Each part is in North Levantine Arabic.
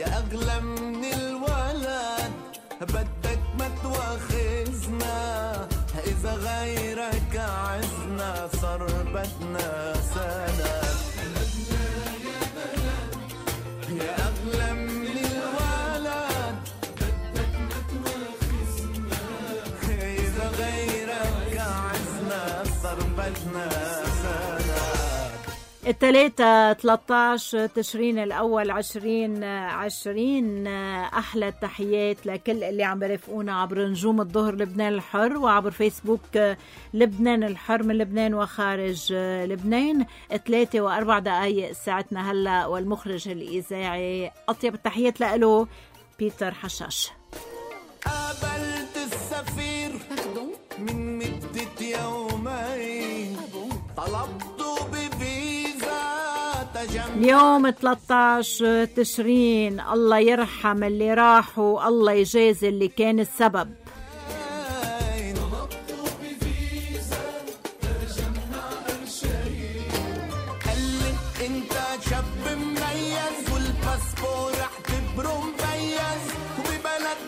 يا أغلى من الولد بدك ما تواخذنا إذا غيرك عزنا صار بدنا سند يا أغلى من الولد بدك ما تواخذنا إذا غيرك عزنا صار بدنا سند. الثلاثة 13 تشرين الأول 2020. أحلى التحيات لكل اللي عم برفقونا عبر نجوم الظهر لبنان الحر وعبر فيسبوك لبنان الحر من لبنان وخارج لبنان. 3:04 ساعتنا هلأ والمخرج الإذاعي أطيب التحيات لأله بيتر حشاش. قابلت السفير من مدة يومين طلبته بفيزا اليوم 13 تشرين. الله يرحم اللي راحوا الله يجازي اللي كان السبب.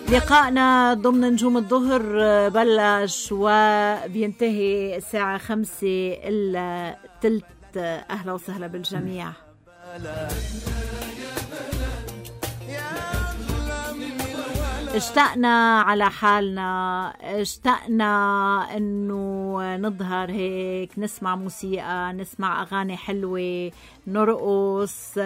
لقائنا ضمن نجوم الظهر بلش وبينتهي الساعة 5:03. أهلا وسهلا بالجميع. اشتقنا على حالنا، اشتقنا انه نظهر هيك، نسمع موسيقى، نسمع اغاني حلوة، نرقص،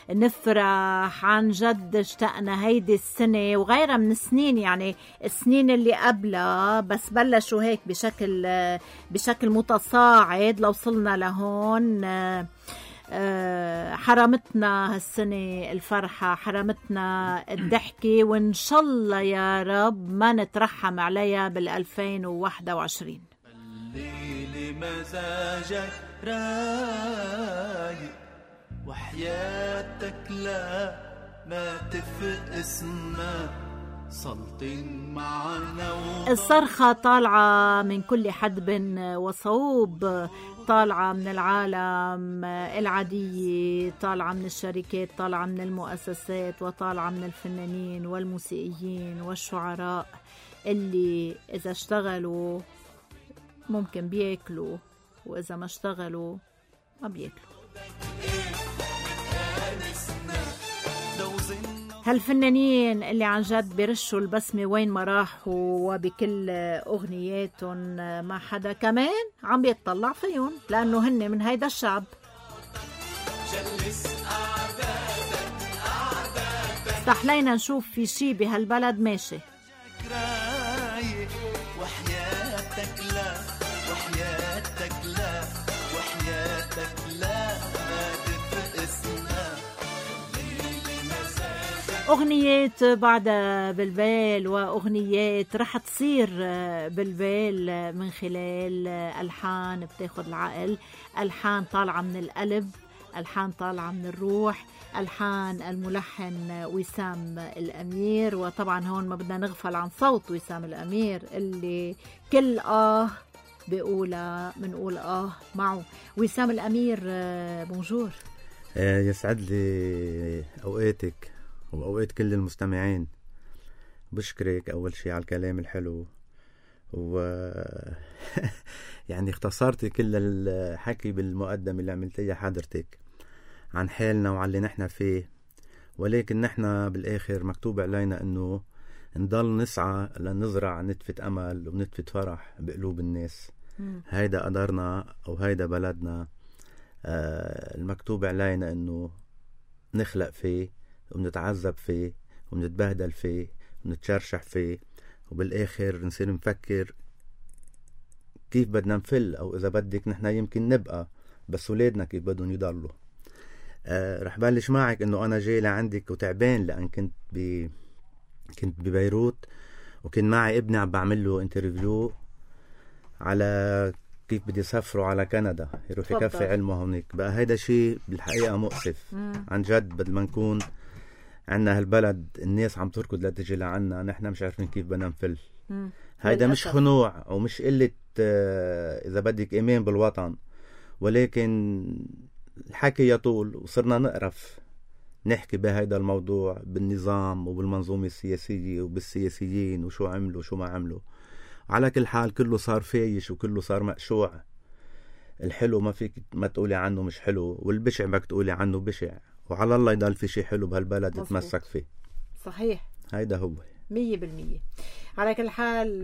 نفرح. عن جد اشتقنا هيدي السنة وغيرها من السنين، يعني السنين اللي قبلها بس بلشوا هيك بشكل متصاعد لوصلنا لهون. حرمتنا هالسنة الفرحة، حرمتنا الضحكة، وإن شاء الله يا رب ما نترحم عليها بال2021. الليل مزاجك رايق وحياتك لا ما تفق اسمك سلطين معنا. الصرخة طالعة من كل حدب وصوب، طالعة من العالم العادية، طالعة من الشركات، طالعة من المؤسسات، وطالعة من الفنانين والموسيقيين والشعراء اللي إذا اشتغلوا ممكن بياكلوا، وإذا ما اشتغلوا ما بياكلوا. هالفنانين اللي عن جد بيرشوا البسمة وين ما راحوا، وبكل أغنياتهم ما حدا كمان عم بيتطلع فيهم، لأنه هن من هيدا الشعب. استحلينا نشوف في شي بهالبلد ماشي. وحياتك لا وحياتك لا وحياتك لا ما تفق اسمها. أغنيات بعدها بالبال، وأغنيات رح تصير بالبال من خلال ألحان بتاخد العقل، ألحان طالعة من القلب، ألحان طالعة من الروح، ألحان الملحن وسام الأمير. وطبعا هون ما بدنا نغفل عن صوت وسام الأمير اللي كل بيقولها منقول معه. وسام الأمير بونجور. يسعد لي أوقاتك وأوقات كل المستمعين. بشكرك أول شيء على الكلام الحلو، يعني اختصرتي كل الحكي بالمقدمة اللي عملتيها حضرتك عن حالنا وعن اللي نحن فيه، ولكن نحن بالآخر مكتوب علينا أنه نضل نسعى لنزرع نتفة أمل ونتفة فرح بقلوب الناس. هيدا قدرنا أو هيدا بلدنا. المكتوب علينا أنه نخلق فيه ونتعذب فيه ونتبهدل فيه ونتشرشح فيه، وبالآخر نصير نفكر كيف بدنا نفل، أو إذا بدك نحن يمكن نبقى، بس ولادنا كيف بدهم يضلوا. رح بلش معك إنه أنا جاي لعندك وتعبان، لأن كنت ببيروت، وكان معي ابني عم بعمل له انترفيو على كيف بدي يسافروا على كندا يروح يكفي علمه هونيك. بقى هيدا شيء بالحقيقة مؤسف عن جد. بدل ما نكون عنا هالبلد الناس عم تركض لتجي لعنا، نحن مش عارفين كيف بدنا نفل. هيدا مش خنوع ومش قلة إذا بدك إيمان بالوطن، ولكن الحكي يطول وصرنا نقرف نحكي بهيدا الموضوع بالنظام وبالمنظومة السياسية وبالسياسيين وشو عملوا وشو ما عملوا. على كل حال كله صار فايش وكله صار مقشوع. الحلو ما فيك ما تقولي عنه مش حلو، والبشع بدك تقولي عنه بشع، وعلى الله يضل في شي حلو بهالبلد يتمسك فيه. صحيح، هيدا هو 100%. على كل حال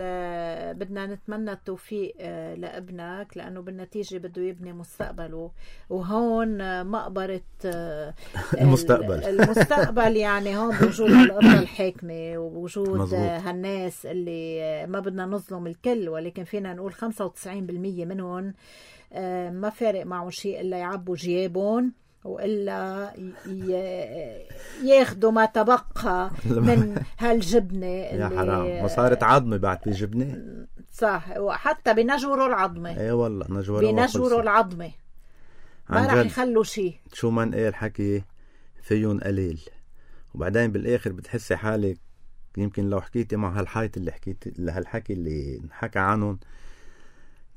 بدنا نتمنى التوفيق لابنك، لأنه بالنتيجة بده يبني مستقبله، وهون مقبرة المستقبل يعني هون بوجود القطة الحاكمة ووجود هالناس اللي ما بدنا نظلم الكل، ولكن فينا نقول 95% منهم ما فارق معهم شيء إلا يعبوا جيابهم وإلا ياخدوا ما تبقى من هالجبنة يا حرام. ما صارت عظمة بعد في جبنة. صح، وحتى بنجوروا العظمة. اي والله بنجوروا العظمة، ما رح يخلوا شيء. شو ما نقال حكي فيهم قليل، وبعدين بالآخر بتحسي حالك يمكن لو حكيتي مع هالحيط اللي هالحكي اللي نحكى عنهم،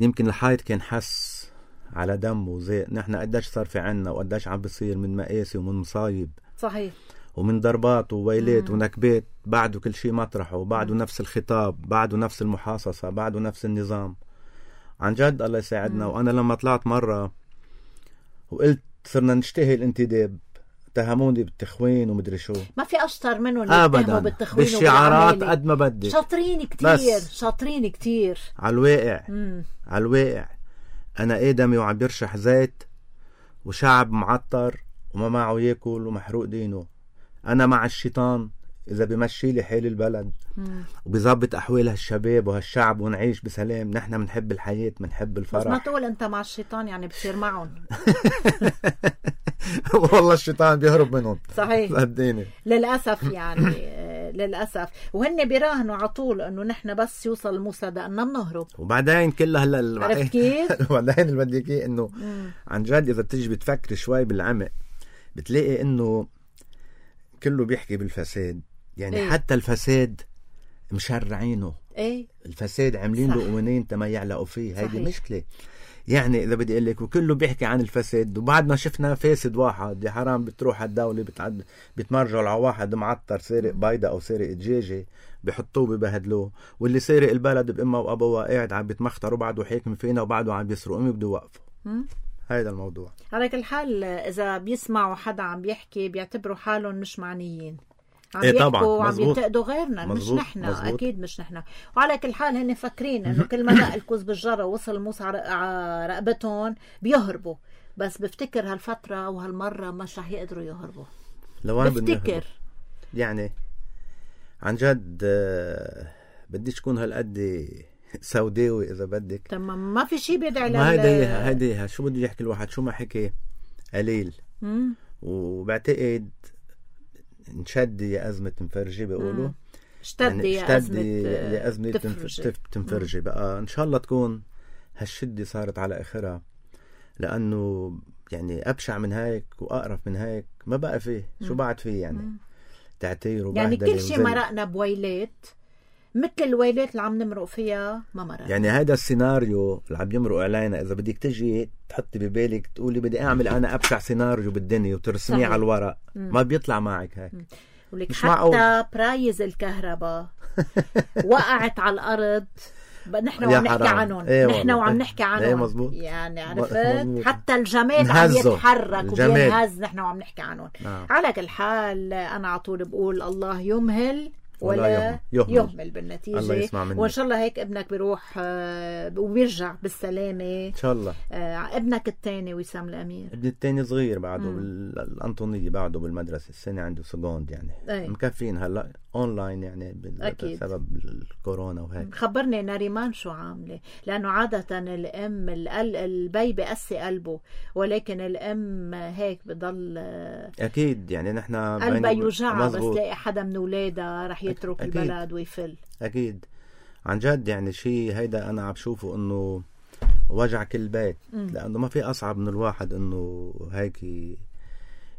يمكن الحيط كان حس على دم وزي نحن قداش صار في عنا وقداش عم بصير من مقاسي ومن مصايب. صحيح. ومن ضربات وويلات ونكبات، بعده كل شيء مطرحه، وبعده نفس الخطاب، بعده نفس المحاصصة، بعده نفس النظام. عن جد الله يساعدنا. وأنا لما طلعت مرة وقلت صرنا نشتهي الانتداب، اتهموني بالتخوين ومدري شو. ما في أشطر منهم أبدا بالتخوين بالشعارات قد ما بدك. شاطرين كتير، شاطرين كتير على الواقع. على الواقع أنا آدمي وعم يرشح زيت وشعب معطر وما معه ياكل ومحروق دينه. أنا مع الشيطان إذا بمشي لي حال البلد وبيظبط أحوال هالشباب وهالشعب ونعيش بسلام. نحن منحب الحياة، منحب الفرح. بس ما تقول أنت مع الشيطان يعني بتصير معهم. والله الشيطان بيهرب منهم. صحيح. صدقيني للأسف يعني للأسف. وهن بيراهنوا على طول أنه نحن بس يوصل الموسى ده أننا بنهرب. وبعدين كلها هلا عرفت كيف؟ وبعدين اللي بدك إيه إنه عن جد إذا بتيجي بتفكر شوي بالعمق بتلاقي إنه كله بيحكي بالفساد. يعني إيه؟ حتى الفساد مشرعينه. إيه؟ الفساد عاملين له قوانين تما يعلقوا فيه. هيدي مشكلة. يعني إذا بدي أقول لك وكله بيحكي عن الفساد وبعدنا شفنا فاسد واحد. يا حرام بتروح الدولة بتمرجوا على واحد معطر سارق بيضة أو سارق دجاجة بيحطوه ببهدلوه، واللي سارق البلد بأمه وأبوه قاعد عم بيتمختروا بعده حاكم فينا وبعده عم بيسرقوا بده يوقفوا. هيدا الموضوع. على كل حال إذا بيسمعوا حدا عم بيحكي بيعتبروا حالهم مش معنيين. عم إيه طبعا وعم ينتقدوا غيرنا. مش نحن. أكيد مش نحن. وعلى كل حال هن فكرين إنه كل ما دق الكوز بالجرة ووصل الموس على رقبتهم بيهربوا. بس بفتكر هالفترة وهالمرة مش رح يقدروا يهربوا. بفتكر يعني عن جد بديش تكون هالقد سوداوي إذا بدك. تمام. ما في شيء بيدعي ما هيديها شو بده يحكي الواحد شو ما حكي قليل. وبعتقد انشدي يا أزمة تنفرجي بيقولوا. اشتدي يا أزمة تنفرجي. بقى إن شاء الله تكون هالشدة صارت على آخرها، لأنه يعني أبشع من هيك وأقرف من هيك ما بقى فيه. شو بعد فيه يعني تعتير وبهدلة. يعني كل شيء مرقنا بويلات مثل الويلات اللي عم نمرق فيها ما مرق. يعني هذا السيناريو اللي عم يمرق علينا إذا بدك تجي تحطي ببالك تقولي بدي أعمل أنا أبشع سيناريو بالدنيا وترسميه على الورق ما بيطلع معك هيك. ولك حتى برايز الكهرباء وقعت على الأرض. نحن وعم نحكي عنهم. نحن وعم نحكي عنهم. يعني عرفت حتى الجماد عم يتحرك وبينهز. نحن وعم نحكي عنهم. على كل حال أنا على طول بقول الله يمهل ولا يهمل بالنتيجة. وإن شاء الله هيك ابنك بيروح وبيرجع بالسلامة إن شاء الله. ابنك الثاني وسام الأمير. ابني الثاني صغير بعده بالأنطونية بعده بالمدرسة السنة عنده سكوند يعني مكفين هلا أونلاين يعني بسبب الكورونا وهيك. خبرني ناريمان شو عاملة، لأنه عادة الأم البي بقسي قلبه، ولكن الأم هيك بضل أكيد يعني نحن قلبها يوجعها بس تلاقي حدا من أولادها رح يترك أكيد. البلد ويفل. أكيد عن جد يعني شيء هيدا أنا عم بشوفه إنه وجع كل بيت. لأنه ما في أصعب من الواحد إنه هيك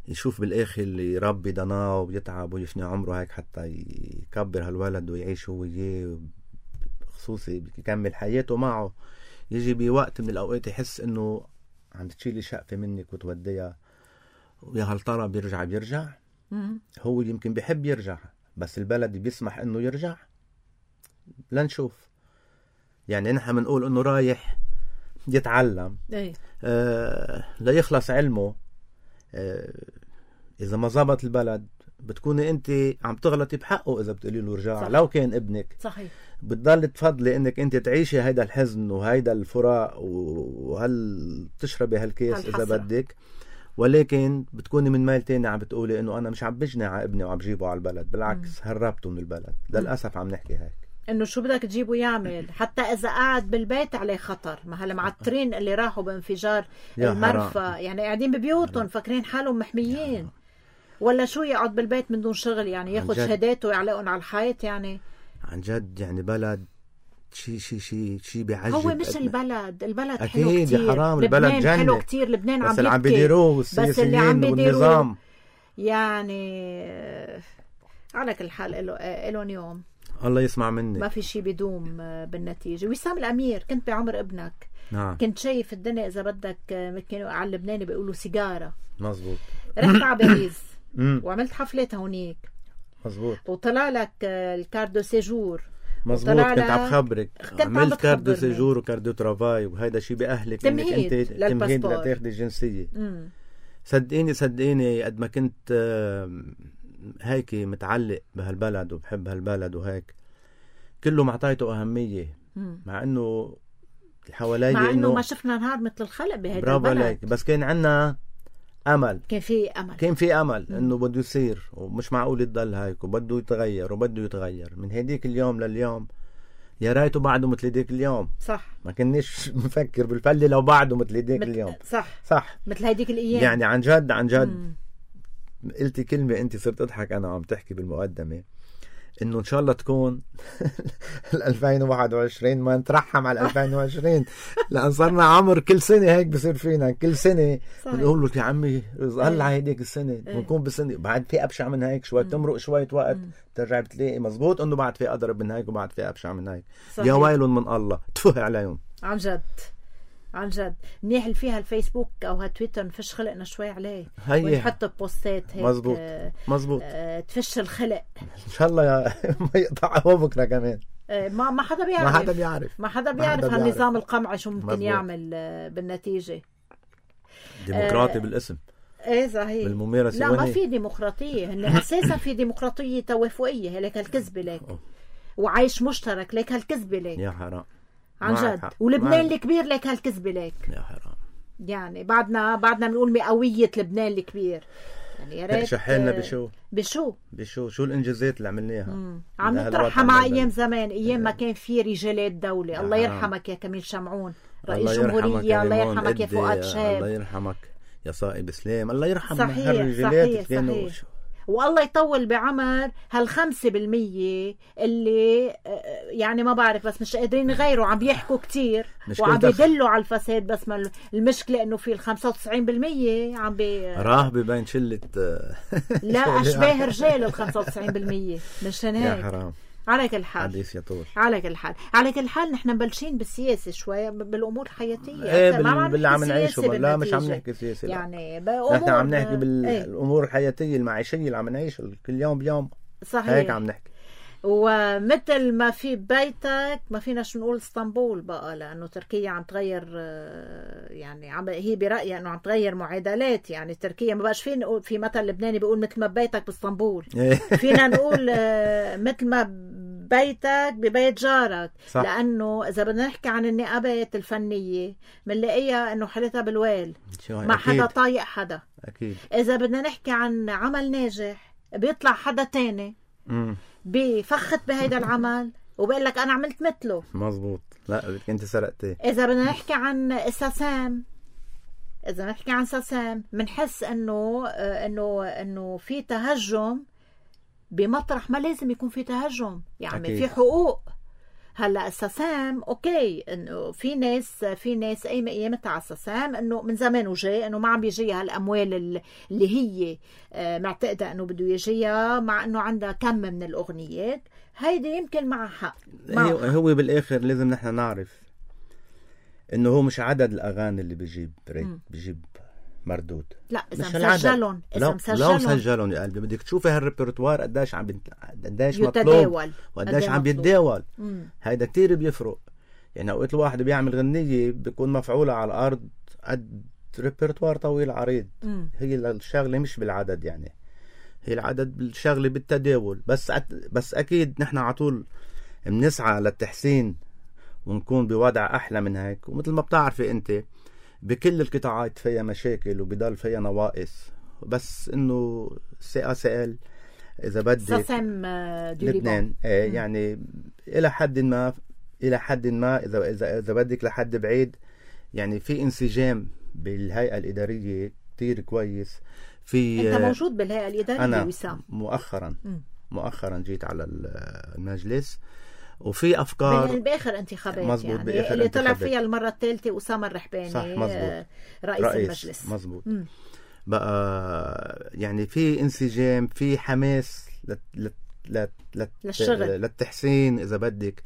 يشوف بالآخر اللي يربي ضناه ويتعب ويفني عمره هيك حتى يكبر هالولد ويعيش هو وياه خصوصي يكمل حياته معه. يجي بوقت من الأوقات يحس إنه عم تشيلي شقفة منك وتوديها ويا هل ترى بيرجع هو يمكن بيحب يرجع، بس البلد بيسمح انه يرجع. لنشوف. يعني نحن بنقول انه رايح يتعلم ليخلص علمه. اذا ما زبط البلد بتكوني انت عم تغلطي بحقه اذا بتقولي له رجع. صح. لو كان ابنك صحيح بتضل تفضلي انك انت تعيشي هيدا الحزن وهيدا الفراق وهل تشربي هالكيس اذا بدك، ولكن بتكوني من ميل تاني عم بتقولي انه انا مش عم بجني على ابني وعم بجيبه على البلد، بالعكس هربته من البلد. للاسف عم نحكي هيك، انه شو بدك تجيبه يعمل حتى اذا قاعد بالبيت عليه خطر. ما هالمعترين اللي راحوا بانفجار المرفأ يعني قاعدين ببيوتهم فاكرين حالهم محميين، ولا شو يقعد بالبيت من دون شغل يعني ياخذ شهاداته ويعلقهم على الحيط. يعني عن جد يعني بلد شي بيعجب. هو مش البلد أكيد حلو كتير. حرام البلد جنة حلو كتير. لبنان بس عم اللي عم بيديروه بس اللي عم بيديروه والنظام يعني على كل حال إلهم يوم الله يسمع مني. ما في شي بيدوم بالنتيجة. وسام الأمير كنت بعمر ابنك. نعم. كنت شايف الدنيا إذا بدك كانوا على اللبناني بيقولوا سيجارة. مظبوط. رحت على باريس وعملت حفلات هونيك. مظبوط. وطلع لك الكاردو سيجور. مظبوط. كنت عم خبرك عملت كاردو سيجور وكاردو ترافاي وهيدا شي بأهلك تمهيد انك انت تمهيد لتاخدي الجنسية. صدقيني قد ما كنت هيك متعلق بهالبلد وبحب هالبلد وهيك كله معطيته أهمية. مع انه حوالي مع انه ما شفنا نهار مثل الخلق بهيدا برافو البلد. عليك. بس كان عنا امل. كان في امل انه بده يصير ومش معقول يضل هيك وبده يتغير من هديك اليوم لليوم. يا ريته بعده مثل هديك اليوم. صح. ما كناش مفكر بالفله لو بعده مثل هديك اليوم. صح مثل هديك الايام. يعني عن جد قلتي كلمه انت صرت اضحك انا وعم تحكي بالمقدمه انه ان شاء الله تكون 2021 ما نترحم على 2020 لان صرنا عمر كل سنه هيك بصير فينا كل سنه بنقول له يا عمي هلا هيديك السنه بنكون بسنه بعد في ابشع من هيك شوي تمرق شويه وقت بترجع بتلاقي مزبوط انه بعد في اضرب من هيك وبعد في ابشع من هيك. يا ويل من الله تفه عليهم عن جد. منيح اللي فيها الفيسبوك او هالتويتر نفش خلقنا شوي عليه ونحط بوستات هيك. مزبوط. تفش الخلق ان شاء الله ما يقطعه بكره كمان. ما حدا بيعرف هالنظام القمعي شو ممكن يعمل بالنتيجه. ديمقراطي بالاسم. ايه صحيح. بالممارسه لا ما في ديمقراطيه. هن اساسا في ديمقراطيه توافقيه لك هالكذبه لك وعيش مشترك لك هالكذبه لك. يا حرام عن جد. ولبنان الكبير لك هالكذبه لك. يا حرام. يعني بعدنا بنقول مئويه لبنان الكبير. يعني يا ريت شحالنا شو الانجازات اللي عملناها. عم نترحم مع ايام زمان، ايام ما كان في رجالات دولة. الله يرحمك يا كميل شمعون رئيس جمهورية. الله يرحمك يا فؤاد شاب. الله يرحمك يا صائب اسلام. الله يرحم هالرجالات اللي كانوا. والله يطول بعمر هال5% اللي يعني ما بعرف بس مش قادرين يغيروا. عم بيحكوا كتير وعم بيدلوا على الفساد. بس ما المشكلة انه في 95% عم راه ببين شلة لا اشباه رجال 95%. مشان هيك يا حرام. على كل حال حديث يطول. على كل حال نحن مبلشين بالسياسة شوي بالأمور الحياتية. ايه باللي عم نعيشه. لا مش عم نحكي سياسة يعني نحن عم نحكي بالأمور الحياتية المعيشية اللي عم نعيش كل يوم بيوم. صحيح. هيك عم نحكي. ومثل ما في بيتك ما فيناش نقول اسطنبول بقى لأنه تركيا عم تغير. يعني هي برأيي أنه عم تغير معادلات. يعني تركيا ما بقاش في مثل لبناني بيقول مثل ما بيتك باسطنبول. فينا نقول مثل ما بيتك ببيت جارك. صح. لأنه إذا بدنا نحكي عن النقابات الفنية بنلاقيها أنه حالتها بالويل. ما حدا طايق حدا. أكيد. إذا بدنا نحكي عن عمل ناجح بيطلع حدا تاني بفخت بهيدا العمل وبقول لك أنا عملت مثله. مزبوط. لا بدك أنت سرقتي. إذا بدنا نحكي عن ساسام بنحس إنه في تهجم بمطرح ما لازم يكون في تهجم. يعني أكيد. في حقوق. هلا الساسام اوكي انه في ناس ايامتها على الساسام انه من زمان وجاي انه ما عم بيجيها الاموال اللي هي معتقده انه بده يجيها مع انه عندها كم من الاغنيات. هيدي يمكن معها حق. هو بالاخر لازم نحن نعرف انه هو مش عدد الاغاني اللي بيجيب مردود. لا إذا مش العدد. مسجلهم لو مسجلهم يا قلبي بدك تشوفي هالريبرتوار قديش قديش مطلوب يتداول وقديش عم بيتداول. هيدا كتير بيفرق. يعني اوقات الواحد بيعمل غنية بيكون مفعولة على الارض قد ريبرتوار طويل عريض. هي الشغلة مش بالعدد، يعني هي العدد بالشغلة بالتداول. بس اكيد نحن على طول بنسعى للتحسين ونكون بوضع احلى من هيك. ومثل ما بتعرفي انت بكل القطاعات فيها مشاكل وبضل فيها نواقص، بس انه CACL اذا بدك ساسام لبنان يعني الى حد ما اذا بدك لحد بعيد، يعني في انسجام بالهيئة الإدارية كتير كويس. في انت موجود بالهيئة الإدارية أنا وسام؟ مؤخرا جيت على المجلس، وفي افكار باخر انتخابات مزبوط يعني بآخر اللي انتخابات. طلع فيها المره الثالثه اسامه الرحباني. صح مزبوط. رئيس المجلس مزبوط. بقى يعني في انسجام، في حماس للشغل للتحسين اذا بدك.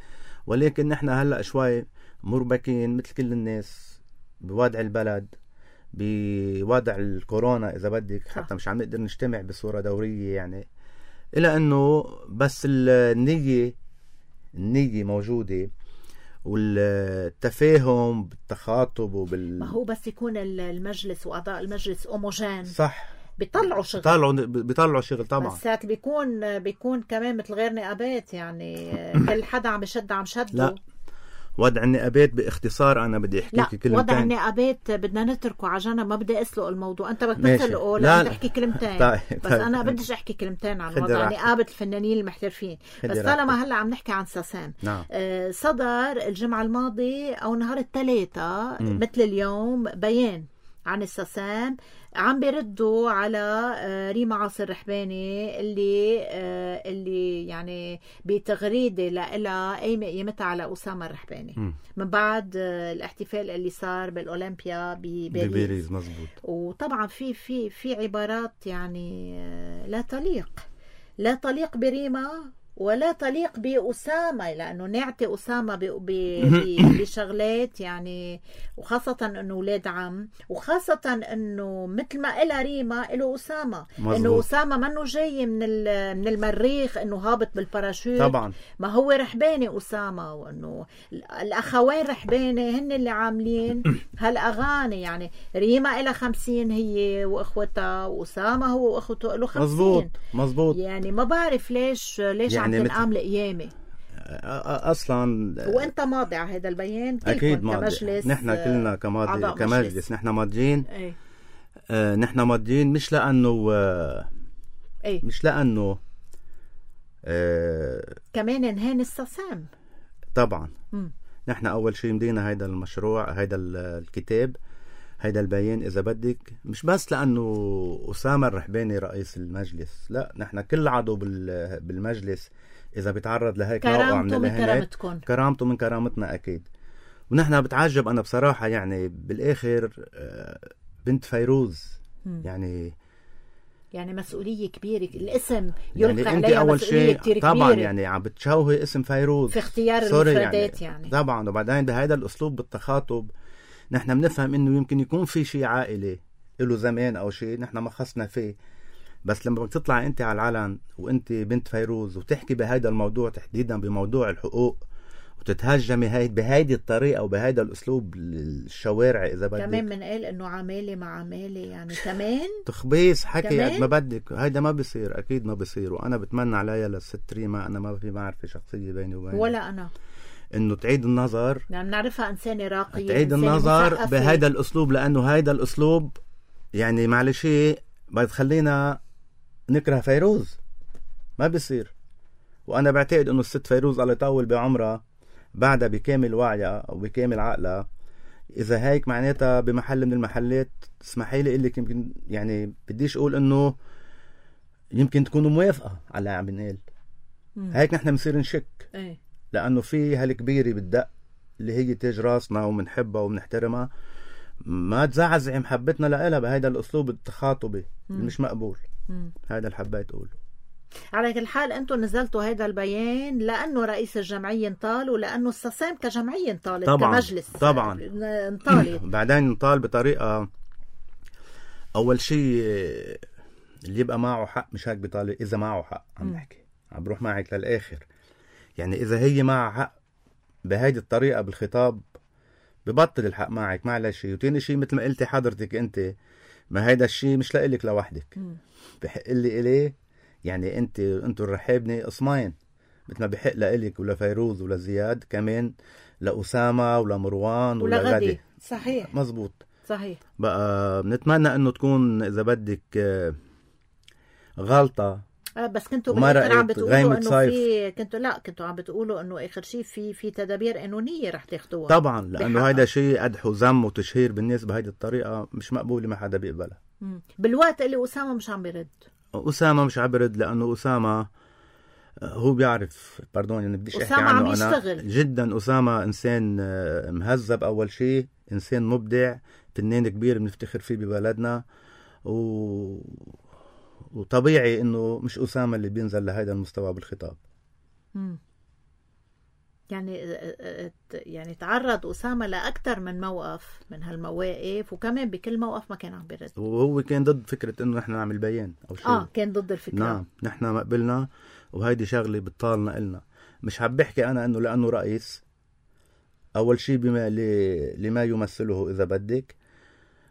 ولكن نحن هلا شوي مربكين مثل كل الناس بوضع البلد، بوضع الكورونا اذا بدك، حتى مش عم نقدر نجتمع بصوره دوريه يعني. الا انه بس النيه موجودة، والتفاهم بالتخاطب ما هو بس يكون المجلس وأعضاء المجلس أوموجين صح بيطلعوا شغل. بيطلعوا شغل طبعا. بس ساعات بيكون كمان مثل غير نقابات، يعني كل حدا عم شده. لا، وضع النقابات باختصار انا بدي احكي لك كلمتين. وضع النقابات بدنا نتركه على جنب، ما بدي اسلق الموضوع. انت بدك تسلقه لا تحكي كلمتين. بس انا بديش احكي كلمتين عن وضع نقابة الفنانين المحترفين. بس طالما هلا عم نحكي عن ساسام، نعم. صدر الجمعة الماضية او نهار الثلاثاء مثل اليوم بيان عن الساسام، عم بيردوا على ريما عاصر رحباني اللي يعني بتغريدة لها قايمة قيمتها على أسامة الرحباني من بعد الاحتفال اللي صار بالأولمبيا بباريس. مزبوط. وطبعا في عبارات يعني لا تليق بريما ولا تليق بأسامة، لأنه نعطي أسامة بشغلات يعني، وخاصة أنه ولاد عم، وخاصة أنه مثل ما إلها ريما إله أسامة. أنه أسامة منه جاي من المريخ أنه هابط بالباراشوت طبعا. ما هو رحباني أسامة، وأنه الأخوين رحباني هن اللي عاملين هالأغاني. يعني ريما إلها 50 هي وإخوتها، وأسامة هو وإخوته إله 50. مزبوط. يعني ما بعرف ليش يعني عم تنقام القيامة اصلا. وانت ماضي على هذا البيان اكيد ماضي. كمجلس، نحن كلنا كمجلس نحن ماضيين. نحن ماضيين مش لانه مش لانه كمان انهان الساسام طبعا. نحن اول شيء مدينا هيدا المشروع، هيدا الكتاب، هيدا البيان اذا بدك، مش بس لانه أسامة الرحباني رئيس المجلس، لا، نحن كل عضو بالمجلس اذا بيتعرض لهيك نوع من الاهانات كرامته من كرامتنا اكيد. ونحن بتعجب انا بصراحة يعني بالاخر بنت فيروز يعني مسؤولية كبيرة، الاسم يلقى يعني عليها مسؤولية كتير كبيرة طبعا. يعني عم بتشوهي اسم فيروز في اختيار المفردات يعني طبعا. وبعدين بهذا الاسلوب بالتخاطب نحن بنفهم انه يمكن يكون في شيء عائلي له زمان او شيء نحن ما خصنا فيه، بس لما بتطلع انت على العلن وانت بنت فيروز وتحكي بهذا الموضوع تحديدا بموضوع الحقوق وتتهجمي بهيدي الطريقه وبهيدا الاسلوب الشوارع اذا بدك، كمان بنقول انه عمالة مع عمالة يعني كمان تخبيص حكي قد ما بدك. هيدا ما بيصير، اكيد ما بيصير. وانا بتمنى عليها للست ريما، انا ما في معرفة شخصية بيني وبينها ولا انا، انه تعيد النظر، يعني بنعرفها انسانة راقية، تعيد النظر بهيدا الاسلوب، لانه هيدا الاسلوب يعني معلش بتخلينا نكره فيروز، ما بيصير. وانا بعتقد انه الست فيروز الله يطول بعمرها بعدها بكامل وعيها او بكامل عقلها، اذا هيك معناتها بمحل من المحلات اسمحي لي اقول لك يمكن يعني بديش اقول انه يمكن تكونوا موافقه على عم بنقول هيك، نحن بنصير نشك لانه في هالكبيره بالدق اللي هي تاج راسنا ومنحبها ومنحترمها، ما تزعزع محبتنا لها بهذا الاسلوب التخاطبي مش مقبول. هذا اللي حبيت اقوله. على كل حال انتم نزلتوا هذا البيان لانه رئيس الجمعيه انطال، ولانه الساسام كجمعيه انطالت، طبعا كمجلس طبعا انطالت بعدين انطال بطريقه اول شيء اللي يبقى معه حق مش هيك بيطالب. اذا معه حق عم نحكي عم بروح معك للاخر. يعني اذا هي معها حق بهيدي الطريقه بالخطاب ببطل الحق معك معلش شيء. وتاني شيء مثل ما قلتي حضرتك انت، ما هيدا الشيء مش لإلك لوحدك، بحق لي إليه. يعني انتوا الرحابني قسمين، مثل ما بحق لإلك ولا فيروز ولا زياد، كمان لأسامة ولا مروان ولا غدي. صحيح مزبوط صحيح. بقى بنتمنى انه تكون اذا بدك غلطة. بس كنتوا بالاخر عم بتقولوا انه كنتوا عم بتقولوا انه اخر شيء في تدابير قانونيه رح تاخذوها. طبعا لانه هيدا شيء قدح وذم وتشهير بالناس بهيدي الطريقه مش مقبوله، ما حدا بيقبلها. بالوقت اللي اسامه مش عم بيرد. اسامه مش عم بيرد لانه اسامه هو بيعرف، يعني بديش احكي عنه عم انا يشتغل. جدا. اسامه انسان مهذب، اول شيء انسان مبدع، فنان كبير بنفتخر فيه ببلدنا، وطبيعي انه مش اسامه اللي بينزل لهذا المستوى بالخطاب. يعني تعرض اسامه لاكثر من موقف من هالمواقف، وكمان بكل موقف ما كان عم بيرد، وهو كان ضد فكره انه نحن نعمل بيان او شيء. كان ضد الفكره. نعم، نحن ما قبلنا، وهيدي شغله بتطالنا إلنا. مش حاب بحكي انا انه لانه رئيس، اول شيء بما لما يمثله اذا بدك،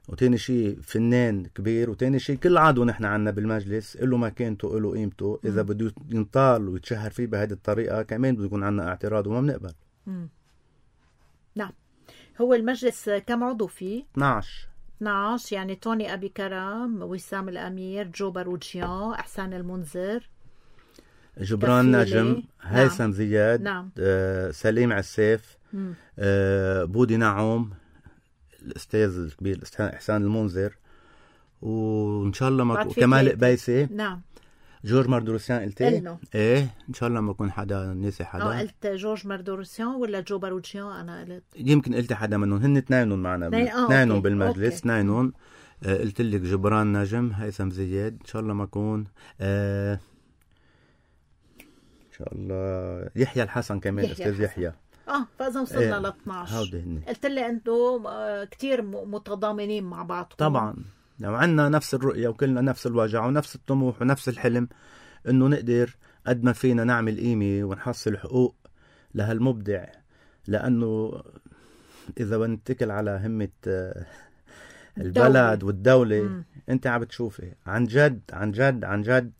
وتاني شيء فنان كبير، وتاني شيء كل عضو نحن عنا بالمجلس له مكانته له قيمته. اذا بده ينطال ويتشهر فيه بهذه الطريقه كمان بده يكون عنا اعتراض وما بنقبل. نعم. هو المجلس كم عضو فيه؟ 12. يعني توني ابي كرم، وسام الامير، جو باروجيان، احسان المنذر، جبران نجم، هيثم زياد، نعم. سليم عساف، بودي نعوم، الاستاذ الكبير احسان المنذر، وان شاء الله ما كمال قبيسي، نعم. جورج مردروسيان قلتي؟ ايه ان شاء الله ما يكون حدا ناسي حدا. قلت جورج مردروسيان ولا جو باروجيان؟ انا قلت يمكن قلت حدا منهم، هن اثنينهم معنا، اثنينهم بالمجلس، اثنينهم. قلت لك جبران نجم، هيثم زياد، ان شاء الله ما يكون ان شاء الله يحيى الحسن كمان، استاذ يحيى. فاذا وصلنا ل 12. قلت لي انتم كتير متضامنين مع بعضكم. طبعا لو عنا نفس الرؤيه وكلنا نفس الوجع ونفس الطموح ونفس الحلم انه نقدر قد ما فينا نعمل قيمه ونحصل حقوق لهالمبدع. لانه اذا بنتكل على همه البلد والدوله انت عم بتشوفي عن جد عن جد عن جد.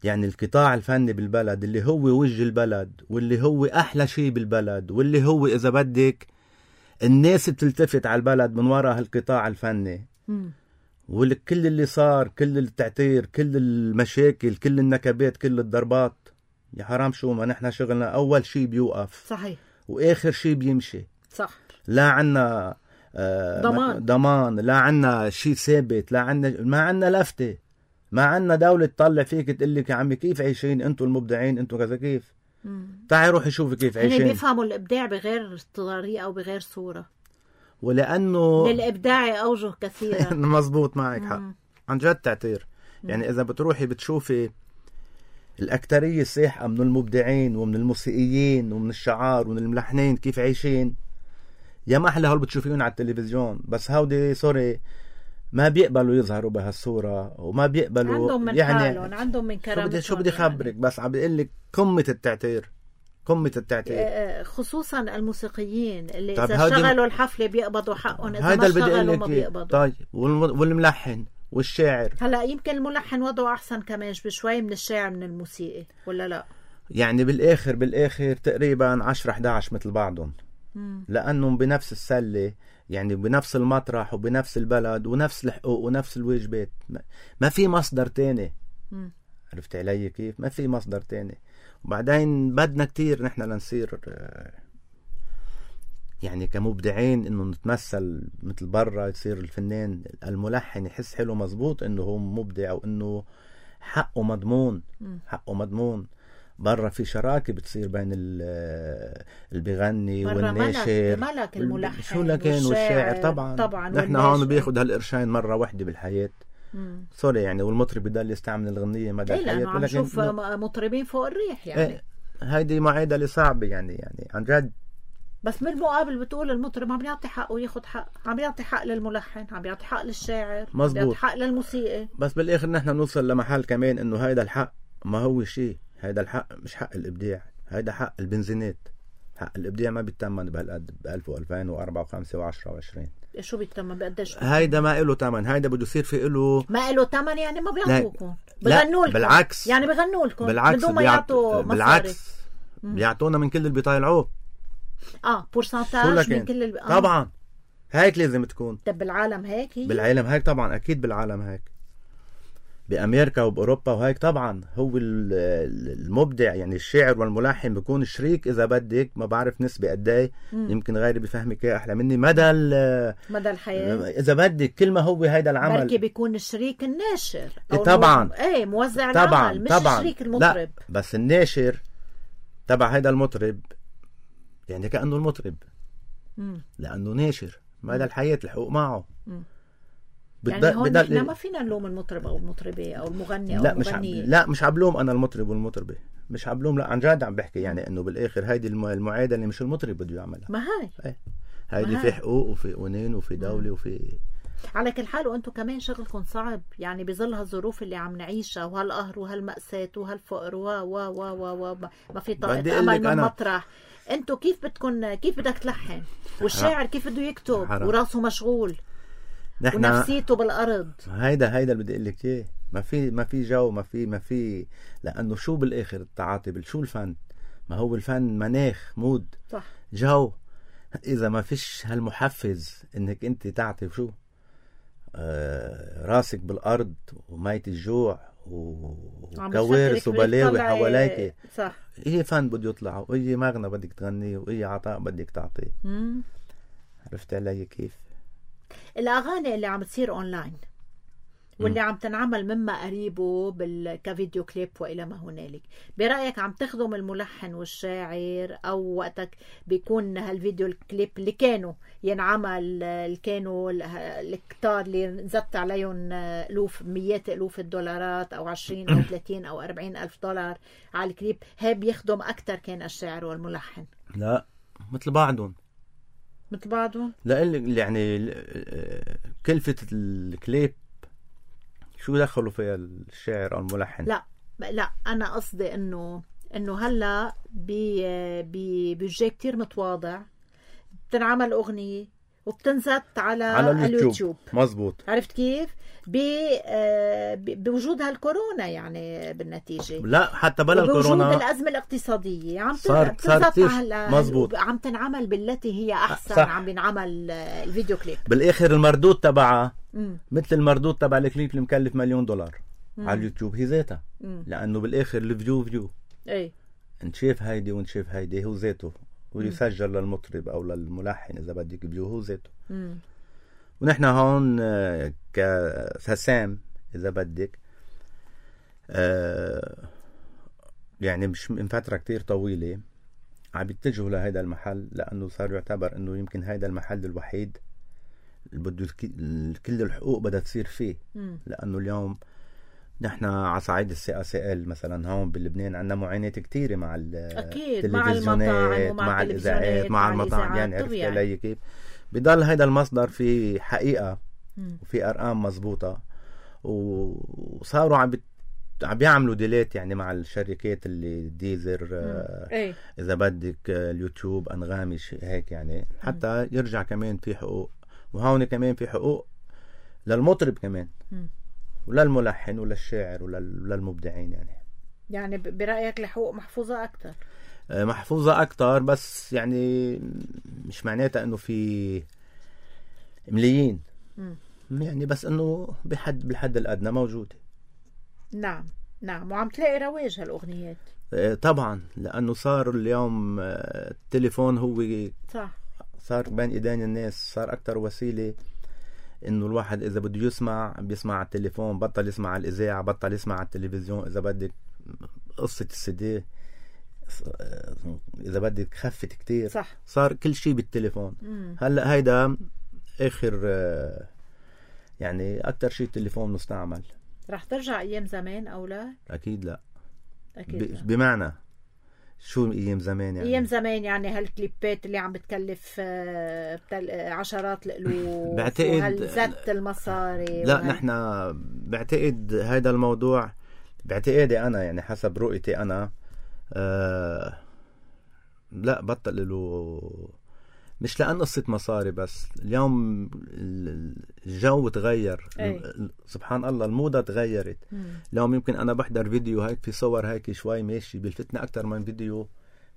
يعني القطاع الفني بالبلد اللي هو وجه البلد، واللي هو أحلى شيء بالبلد، واللي هو إذا بدك الناس بتلتفت على البلد من وراء هالقطاع الفني. وكل اللي صار، كل التعتير، كل المشاكل، كل النكبات، كل الضربات، يا حرام شو ما نحن شغلنا أول شيء بيوقف، صحيح، وآخر شيء بيمشي، صح. لا عنا ضمان، لا عنا شيء ثابت، لا عنا، ما عنا لفتة، ما عنا دولة تطلع فيك تقلك يا عمي كيف عايشين انتوا المبدعين، انتوا كذا كيف. تعي روحي شوفي كيف عايشين. يعني بيفهموا الابداع بغير طريقة او بغير صورة، ولانه للابداع اوجه كثيرة. مزبوط، معك حق عن جد تعتير. يعني اذا بتروحي بتشوفي الاكترية الساحقة من المبدعين ومن الموسيقيين ومن الشعار ومن الملحنين كيف عايشين، يا محلى هول بتشوفيهم على التلفزيون، بس هودي سوري ما بيقبلوا يظهروا بهالصورة، وما بيقبلوا، عندهم من يعني حالهم، عندهم من كرامتهم. شو بدي خبرك يعني. بس عم بقول لك قمة التعتير، قمة التعتير، خصوصا الموسيقيين اللي اذا اشتغلوا الحفلة بيقبضوا حقهم، اذا ما اشتغلوا ما بيقبضوا. طيب والملحن والشاعر، هلا يمكن الملحن وضعه احسن كمان بشوي من الشاعر من الموسيقي، ولا لا؟ يعني بالاخر تقريبا 10-11 مثل بعضهم، لانهم بنفس السلة، يعني بنفس المطرح وبنفس البلد ونفس الحقوق ونفس الواجبات. ما في مصدر تاني. عرفت علي كيف؟ ما في مصدر تاني. وبعدين بدنا كتير نحن لنصير يعني كمبدعين انه نتمثل مثل برا، يصير الفنان الملحن يحس حلو مزبوط انه هو مبدع وانه حقه مضمون. حقه مضمون. برا في شراكة بتصير بين اللي بيغني والناشر، ملك الملحن شو لكن والشاعر. طبعا نحن هون بياخد هالقرشين مرة واحدة بالحياة. سوري يعني، والمطرب بضل يستعمل الغنية مدى الحياة. ولكن نشوف مطربين فوق الريح يعني. هيدي معادلة صعبة يعني عن جد بس بالمقابل بتقول المطرب عم يعطي حقه وياخد حق، عم يعطي حق للملحن، عم يعطي حق للشاعر، مزبوط. عم يعطي حق للموسيقى. بس بالاخر نحن نوصل لمحل كمان انه هيدا الحق ما هو شيء، هيدا الحق مش حق الابداع، هيدا حق البنزينات. حق الابداع ما بيتمن بهالقد ب 1000 و2000 و4 و5 و10 و20. شو بيتمن بقديش؟ هيدا ما له ثمن، هيدا بده يصير في له ما له ثمن، يعني ما بيعطوكم، لا بغنوا لكم. بالعكس، يعني بغنوا لكم بالعكس بدون ما يعطوا مصاري. بالعكس بيعطونا من كل اللي بيطالعوه. بورسنتاج من كل طبعا هيك لازم تكون. طب بالعالم هيك هي؟ بالعالم هيك طبعا، اكيد بالعالم هيك، بامريكا وباوروبا وهيك طبعا. هو المبدع يعني الشاعر والملحن بيكون شريك اذا بدك، ما بعرف نسبه قد ايه، يمكن غيري بيفهمك اياها احلى مني، مدى الحياه اذا بدك. كل ما هو هيدا العمل بركي بيكون الشريك الناشر أو طبعا موزع طبعا العمل، مش طبعا الشريك المطرب. لا بس الناشر تبع هيدا المطرب يعني كأنه المطرب لأنه ناشر مدى الحياة، الحقوق معه. يعني هون نحن ما فينا نلوم المطرب أو المطربة أو المغني أو المغنية. لا مش عبلوم أنا المطرب والمطربة، مش عبلوم، لا عن جد عم بحكي يعني إنه بالآخر هيدي المعادلة مش المطرب بده يعملها. ما هاي هيدي في حقوق وفي قوانين وفي دولة وفي على كل حال. وانتم كمان شغلكم صعب يعني بظل هالظروف اللي عم نعيشها وهالقهر وهالمأساة وهالفقر ما في طاقة أمل من مطرح. انتم كيف بدك تلحن والشاعر كيف بده يكتب وراسه مشغول ونفسيته بالأرض؟ هيدا اللي بدي اقول لك اياه. ما في جو، ما في لأنه شو بالآخر التعاطي شو الفن؟ ما هو الفن مناخ، مود، صح، جو. إذا ما فيش هالمحفز إنك أنت تعطي شو راسك بالأرض وميت الجوع وكوارث وبلاوي حواليك، صح، إيه فن بده يطلع، وإيه مغنى بدك تغنيه، وإيه عطاء بدك تعطيه. عرفت علي كيف؟ الأغاني اللي عم تصير أونلاين واللي عم تنعمل مما قريبه كفيديو كليب وإلى ما هنالك، برأيك عم تخدم الملحن والشاعر؟ أو وقتك بيكون هالفيديو الكليب اللي كانوا ينعمل كانوا الكتار اللي نزدت عليهم مئات ألوف الدولارات أو 20 أو 30 أو 40 ألف دولار على الكليب، هي بيخدم أكتر كان الشاعر والملحن؟ لا مثل بعضهم لا يعني كلفة الكليب شو دخلوا فيها الشاعر او الملحن؟ لا انا قصدي انه هلا بجي كتير متواضع بتنعمل اغنيه وبتنزت على اليوتيوب. مزبوط. عرفت كيف؟ بوجود هالكورونا يعني بالنتيجه، لا حتى بلا الكورونا، بوجود الازمه الاقتصاديه عم صارت مزبوط، عم تنعمل بالتي هي احسن. صح. عم بينعمل الفيديو كليب بالاخر المردود تبعها مثل المردود تبع الكليب اللي مكلف $1,000,000 على اليوتيوب، هي ذاتها. لانه بالاخر الفيو اي نشاف هيدي ونشاف هيدي هو ذاته، ويسجل للمطرب او للملحن اذا بدك فيو هو ذاته. ونحن هون كسام اذا بدك يعني مش من فترة كتير طويلة عم يتجهوا لهيدا المحل، لانه صار يعتبر انه يمكن هيدا المحل الوحيد اللي بده كل الحقوق بدها تصير فيه. لانه اليوم نحن على صعيد السي مثلا هون بلبنان عندنا معاناة كتيرة مع التلفزيونات، مع الإذاعات، مع المطاعم. يعني عرفت علي كيف؟ بضل هيدا المصدر في حقيقة وفي أرقام مزبوطة، وصاروا عم بيعملوا ديليت يعني مع الشركات اللي ديزر إذا بدك اليوتيوب أنغامي هيك يعني، حتى يرجع كمان في حقوق. وهون كمان في حقوق للمطرب كمان ولا الملحن ولا الشاعر ولا المبدعين. يعني برأيك الحقوق محفوظة أكتر؟ محفوظة أكتر، بس يعني مش معناتها أنه في مليين يعني، بس أنه بالحد الأدنى موجودة. نعم وعم تلاقي رواج هالأغنيات طبعا، لأنه صار اليوم التليفون هو صح، صار بين إيدين الناس، صار أكتر وسيلة انه الواحد اذا بده يسمع بيسمع على التليفون، بطل يسمع على الاذاعه، بطل يسمع على التلفزيون. اذا بدك قصه السي اذا بدك خفت كتير، صح، صار كل شيء بالتليفون. هلا هيدا اخر يعني اكتر شيء التليفون مستعمل. رح ترجع ايام زمان او لا؟ اكيد لا. اكيد لا. بمعنى شو ايام زمان يعني. ايام زمان يعني هالكليبات اللي عم بتكلف عشرات القلوب بعتقد وهالزت المصاري. لا نحن بعتقد هذا الموضوع باعتقادي انا يعني حسب رؤيتي انا لا بطل له، مش لأن قصة مصاري بس. اليوم الجو تغير. سبحان الله الموضة تغيرت. اليوم يمكن أنا بحضر فيديو هيك في صور هيك شوي ماشي بيلفتنا أكتر من فيديو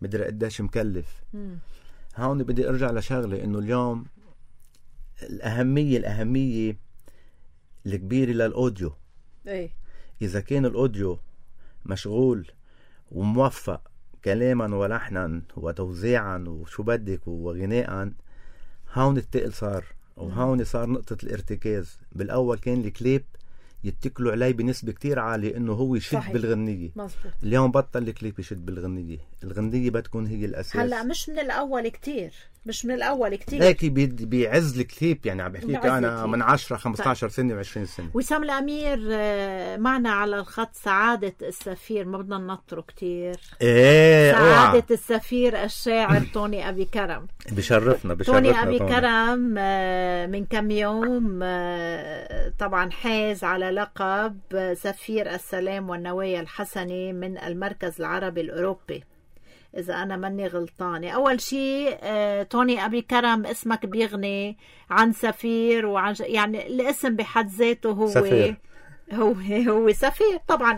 مدري قديش مكلف. هون بدي أرجع لشغلة إنه اليوم الأهمية الكبيرة للأوديو. إذا كان الأوديو مشغول وموفق كلاما ولحنا وتوزيعا وشو بدك وغناء، هون التقل صار، وهون صار نقطة الارتكاز. بالأول كان الكليب يتكلوا عليه بنسبة كتير عالية انه هو يشد صحيح. بالغنية. مزبوط. اليوم بطل الكليب يشد بالغنية، الغنية بتكون هي الأساس. هلا مش من الأول كتير هيك بيعز الكليب يعني. عم بحكيك أنا من 10 15 سنة و20 سنة. وسام الأمير معنا على الخط. سعادة السفير، ما بدنا ننطره كتير. سعادة السفير الشاعر توني أبي كرم بشرفنا توني أبي كرم من كم يوم طبعا حاز على لقب سفير السلام والنوايا الحسنة من المركز العربي الأوروبي إذا أنا ماني غلطانة. أول شيء توني أبي كرم اسمك بيغني عن سفير، وعن يعني الاسم بحد ذاته هو سفير. هو سفير طبعا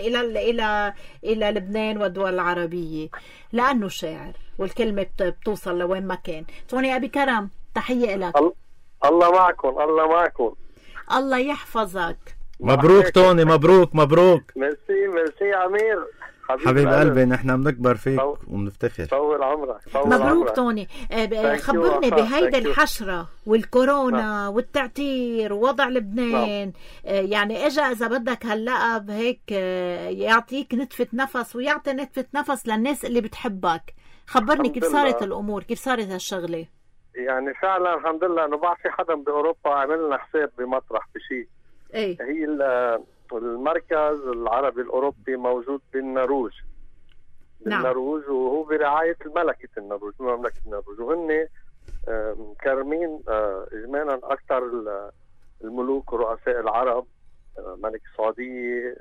إلى لبنان والدول العربية لأنه شاعر، والكلمة بتوصل لوين ما كان. توني أبي كرم تحية لك. الله معكم. الله يحفظك. مبروك توني، مبروك. ميرسي عمير حبيب قلبي. نحن بنكبر فيك وبنفتخر. طول عمرك. مبروك توني. خبرني بهيدا الحشرة والكورونا والتعتير ووضع لبنان. يعني اجا اذا بدك هاللقب هيك يعطيك نتفة نفس ويعطي نتفة نفس للناس اللي بتحبك. خبرني كيف صارت الامور، كيف صارت هالشغلة؟ يعني فعلا الحمد لله انه بعد في حدا باوروبا عمل لنا حساب بمطرح بشيء. هي المركز العربي الأوروبي موجود بالنرويج. بالنرويج وهو برعاية مملكة النرويج. وهن مكرمين إجمالا أكثر الملوك ورؤساء العرب، ملك السعودية،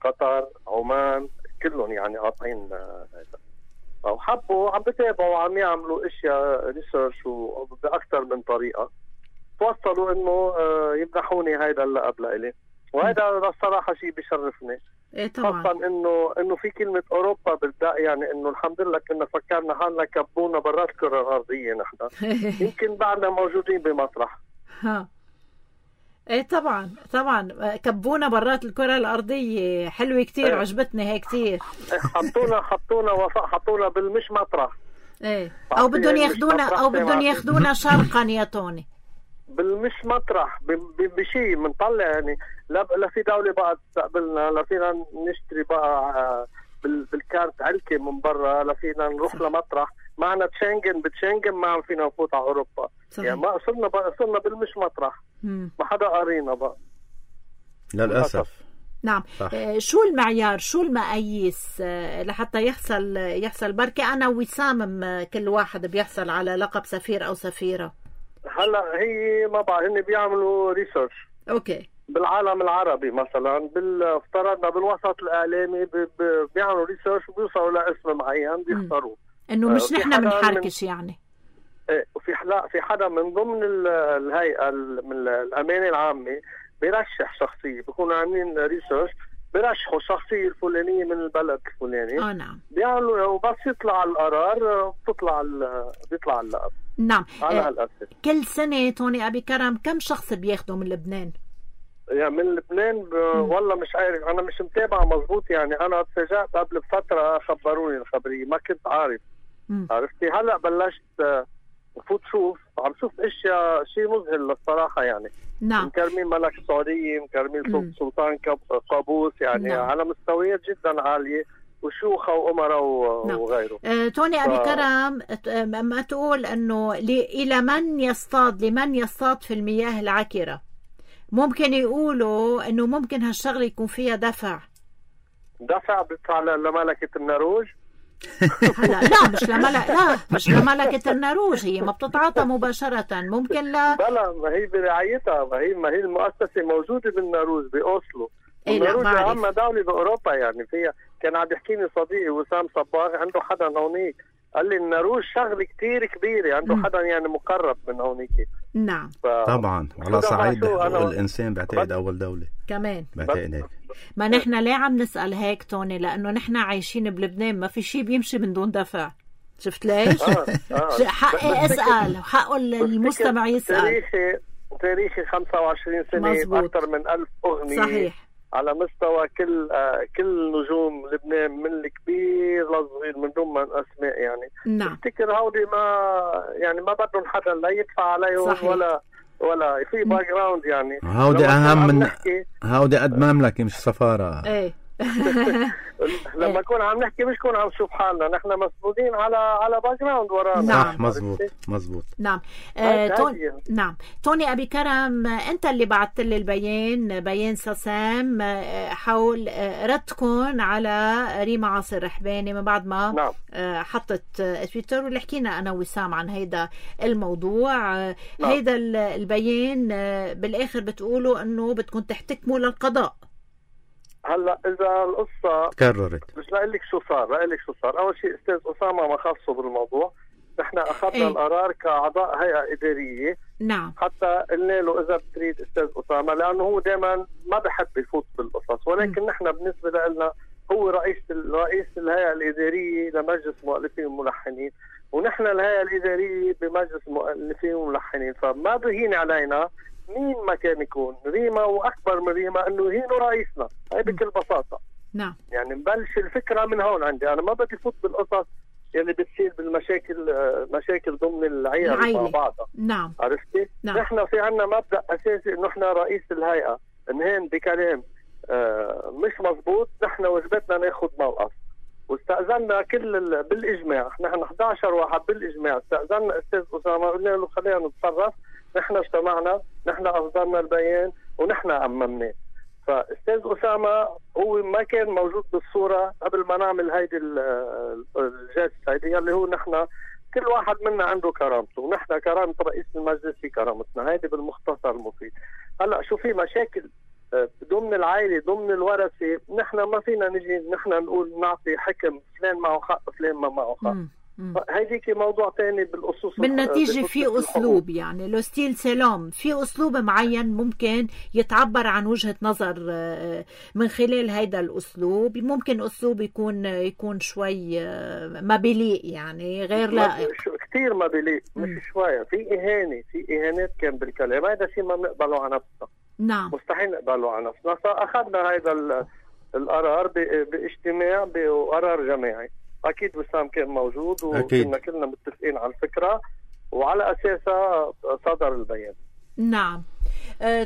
قطر، عمان، كلهم يعني قاطعين هذا. وحبوا عم بتابعوا وعم يعملوا اشياء ريسيرش وبأكثر من طريقة. توصلوا انه يمنحوني هيدا اللقب لإلي، وهذا الصراحه شيء بيشرفني. خاصه انه في كلمه اوروبا بالدق، يعني انه الحمد لله كنا فكرنا حالنا كبونا برات الكره الارضيه. نحن يمكن بعدنا موجودين بمطرح. طبعا كبونا برات الكره الارضيه. حلوه كتير. عجبتني هي كتير. حطونا بالمش مطرح. او بدهم ياخذونا شرقا يا توني. بالمش مطرح بشيء منطلع يعني. لا في دولة بقى تستقبلنا، لا فينا نشتري بقى بالكارت علكة من برا، لا فينا نروح لمطرح. معنا بتشنجن ما عم فينا نفوت على أوروبا. صحيح. يعني ما صرنا بالمش مطرح. ما حدا قارينا بقى للأسف. نعم. شو المعيار، شو المقاييس لحتى يحصل بركة أنا وسام كل واحد بيحصل على لقب سفير أو سفيرة؟ هلا هي ما بعرف، هن بيعملوا ريسيرش. اوكي. بالعالم العربي مثلا افترضنا بالوسط الاعلامي بيعملوا ريسيرش وبيوصلوا لاسم معين بيختاروه. انه مش نحن بنحركش يعني. وفي في حدا من ضمن الهيئه من الامانه العامه بيرشح شخصيه، بيكونوا عاملين ريسيرش بيرشحوا الشخصيه الفلانيه من البلد الفلاني. نعم. بيعملوا وبس يطلع القرار بيطلع اللقب. نعم. كل سنة توني أبي كرم كم شخص بياخدوا من لبنان؟ يعني من لبنان والله مش عارف، أنا مش متابعة مزبوط. يعني أنا اتفاجأت قبل فترة خبروني الخبرية، ما كنت عارف. عرفتي هلأ بلشت فوت عم شوف اشياء شيء مذهل الصراحة يعني. نعم. مكرمين ملك السعودية، مكرمين سلطان قابوس، يعني نعم. على مستويات جدا عالية وشيوخ وأمراء وغيره. توني أبي كرم ما تقول أنه لمن يصطاد في المياه العكرة، ممكن يقولوا أنه ممكن هالشغل يكون فيها دفع. دفع بدفع لملكة النرويج. هلا لا مش لملكة النرويج، هي ما بتتعاطى مباشرة، ممكن لا بلا ما هي برعايتها، ما هي المؤسسة موجودة بالنرويج بأوسلو. إيه لا النرويج بعرف. أهم دولة بأوروبا يعني فيها. كان عم يحكيني صديقي وسام صباغ، عنده حدا هونيك قال لي النرويج شغلة كتير كبيرة، عنده حدا يعني مقرب من هونيك. نعم طبعا على صعيد الإنسان بعتقد أول دولة كمان بعتقد هيك. ما نحن ليه عم نسأل هيك توني؟ لأنه نحن عايشين بلبنان ما في شيء بيمشي من دون دفع. شفت ليش؟ حقي أسأل وحقه المستمع يسأل. تاريخي 25 سنة مزبوط. أكثر من 1000 أغنية صحيح على مستوى كل نجوم لبنان من الكبير للصغير من دون ما أسماء يعني. نعم. افتكر هودي ما بدهم حدا لا يدفع عليهم. صحيح. ولا في باك جراوند يعني. هودي أهم من هودي قد مملكة مش سفارة. ايه لما نكون عم نحكي مش كون عم نشوف حالنا، نحن مسؤولين على باك جراوند ورانا. نعم. مزبوط. نعم. نعم توني أبي كرم، أنت اللي بعثت لي بيان ساسام حول ردكم على ريما عاصر رحباني من بعد ما نعم. حطت تويتر، واللي حكينا أنا وسام عن هيدا الموضوع. نعم. هيدا البيان بالآخر بتقولوا أنه بدكم تحتكموا للقضاء. هلا اذا القصه تكررت مش لاقول لك شو صار. اول شيء استاذ اسامه ما خصه بالموضوع، نحن اخذنا القرار كاعضاء هيئه اداريه. نعم. حتى قلنا له اذا بتريد استاذ اسامه، لانه هو دائما ما بحب يفوت بالقصص، ولكن نحن بالنسبه لنا هو رئيس الهيئه الاداريه لمجلس مؤلفين وملحنين، ونحن الهيئه الاداريه بمجلس مؤلفين وملحنين، فما بهين علينا مين ما كان يكون ريما، واكبر من ريما انه يهينوا رئيسنا. هي بكل بساطه. نعم. يعني نبلش الفكره من هون عندي، انا ما بدي فوت بالقصص اللي بتصير مشاكل ضمن العيله مع بعضها. نعم. عرفتي؟ نعم. نحن في عنا مبدا اساسي انه احنا رئيس الهيئه انهين بكلام مش مزبوط، نحن واجبتنا ناخذ موقف. واستأذنا بالاجماع، نحن 11 واحد بالاجماع استأذنا استاذ اسامه، قلنا له خلينا نتصرف. نحن اجتمعنا، نحن اصدرنا البيان ونحن اممناه. فاستاذ اسامه هو ما كان موجود بالصوره قبل ما نعمل هيدي الجلسه هيدي، اللي هو نحن كل واحد منا عنده كرامته، ونحن كرامه رئيس المجلس في كرامتنا. هيدي بالمختصر المفيد. هلا شو في مشاكل ضمن العائله ضمن الورثه، نحن ما فينا نجي نحن نقول نعطي حكم فلان معه حق فلان ما معه حق. هيديك موضوع ثاني بالأصول. بالنتيجة في أسلوب يعني لو ستيل سلام، في أسلوب معين ممكن يتعبر عن وجهة نظر من خلال هيدا الأسلوب. ممكن أسلوب يكون شوي ما بليق يعني غير لائق، كتير ما بليق، مش شوية. في إهانات كان بالكلام، هذا شيء ما نقبله على نفسنا. نعم. مستحيل نقبله على نفسنا. فأخذنا هذا القرار باجتماع بقرار جماعي. أكيد وسام كان موجود وكنا كلنا متفقين على الفكرة، وعلى أساسها صدر البيان. نعم.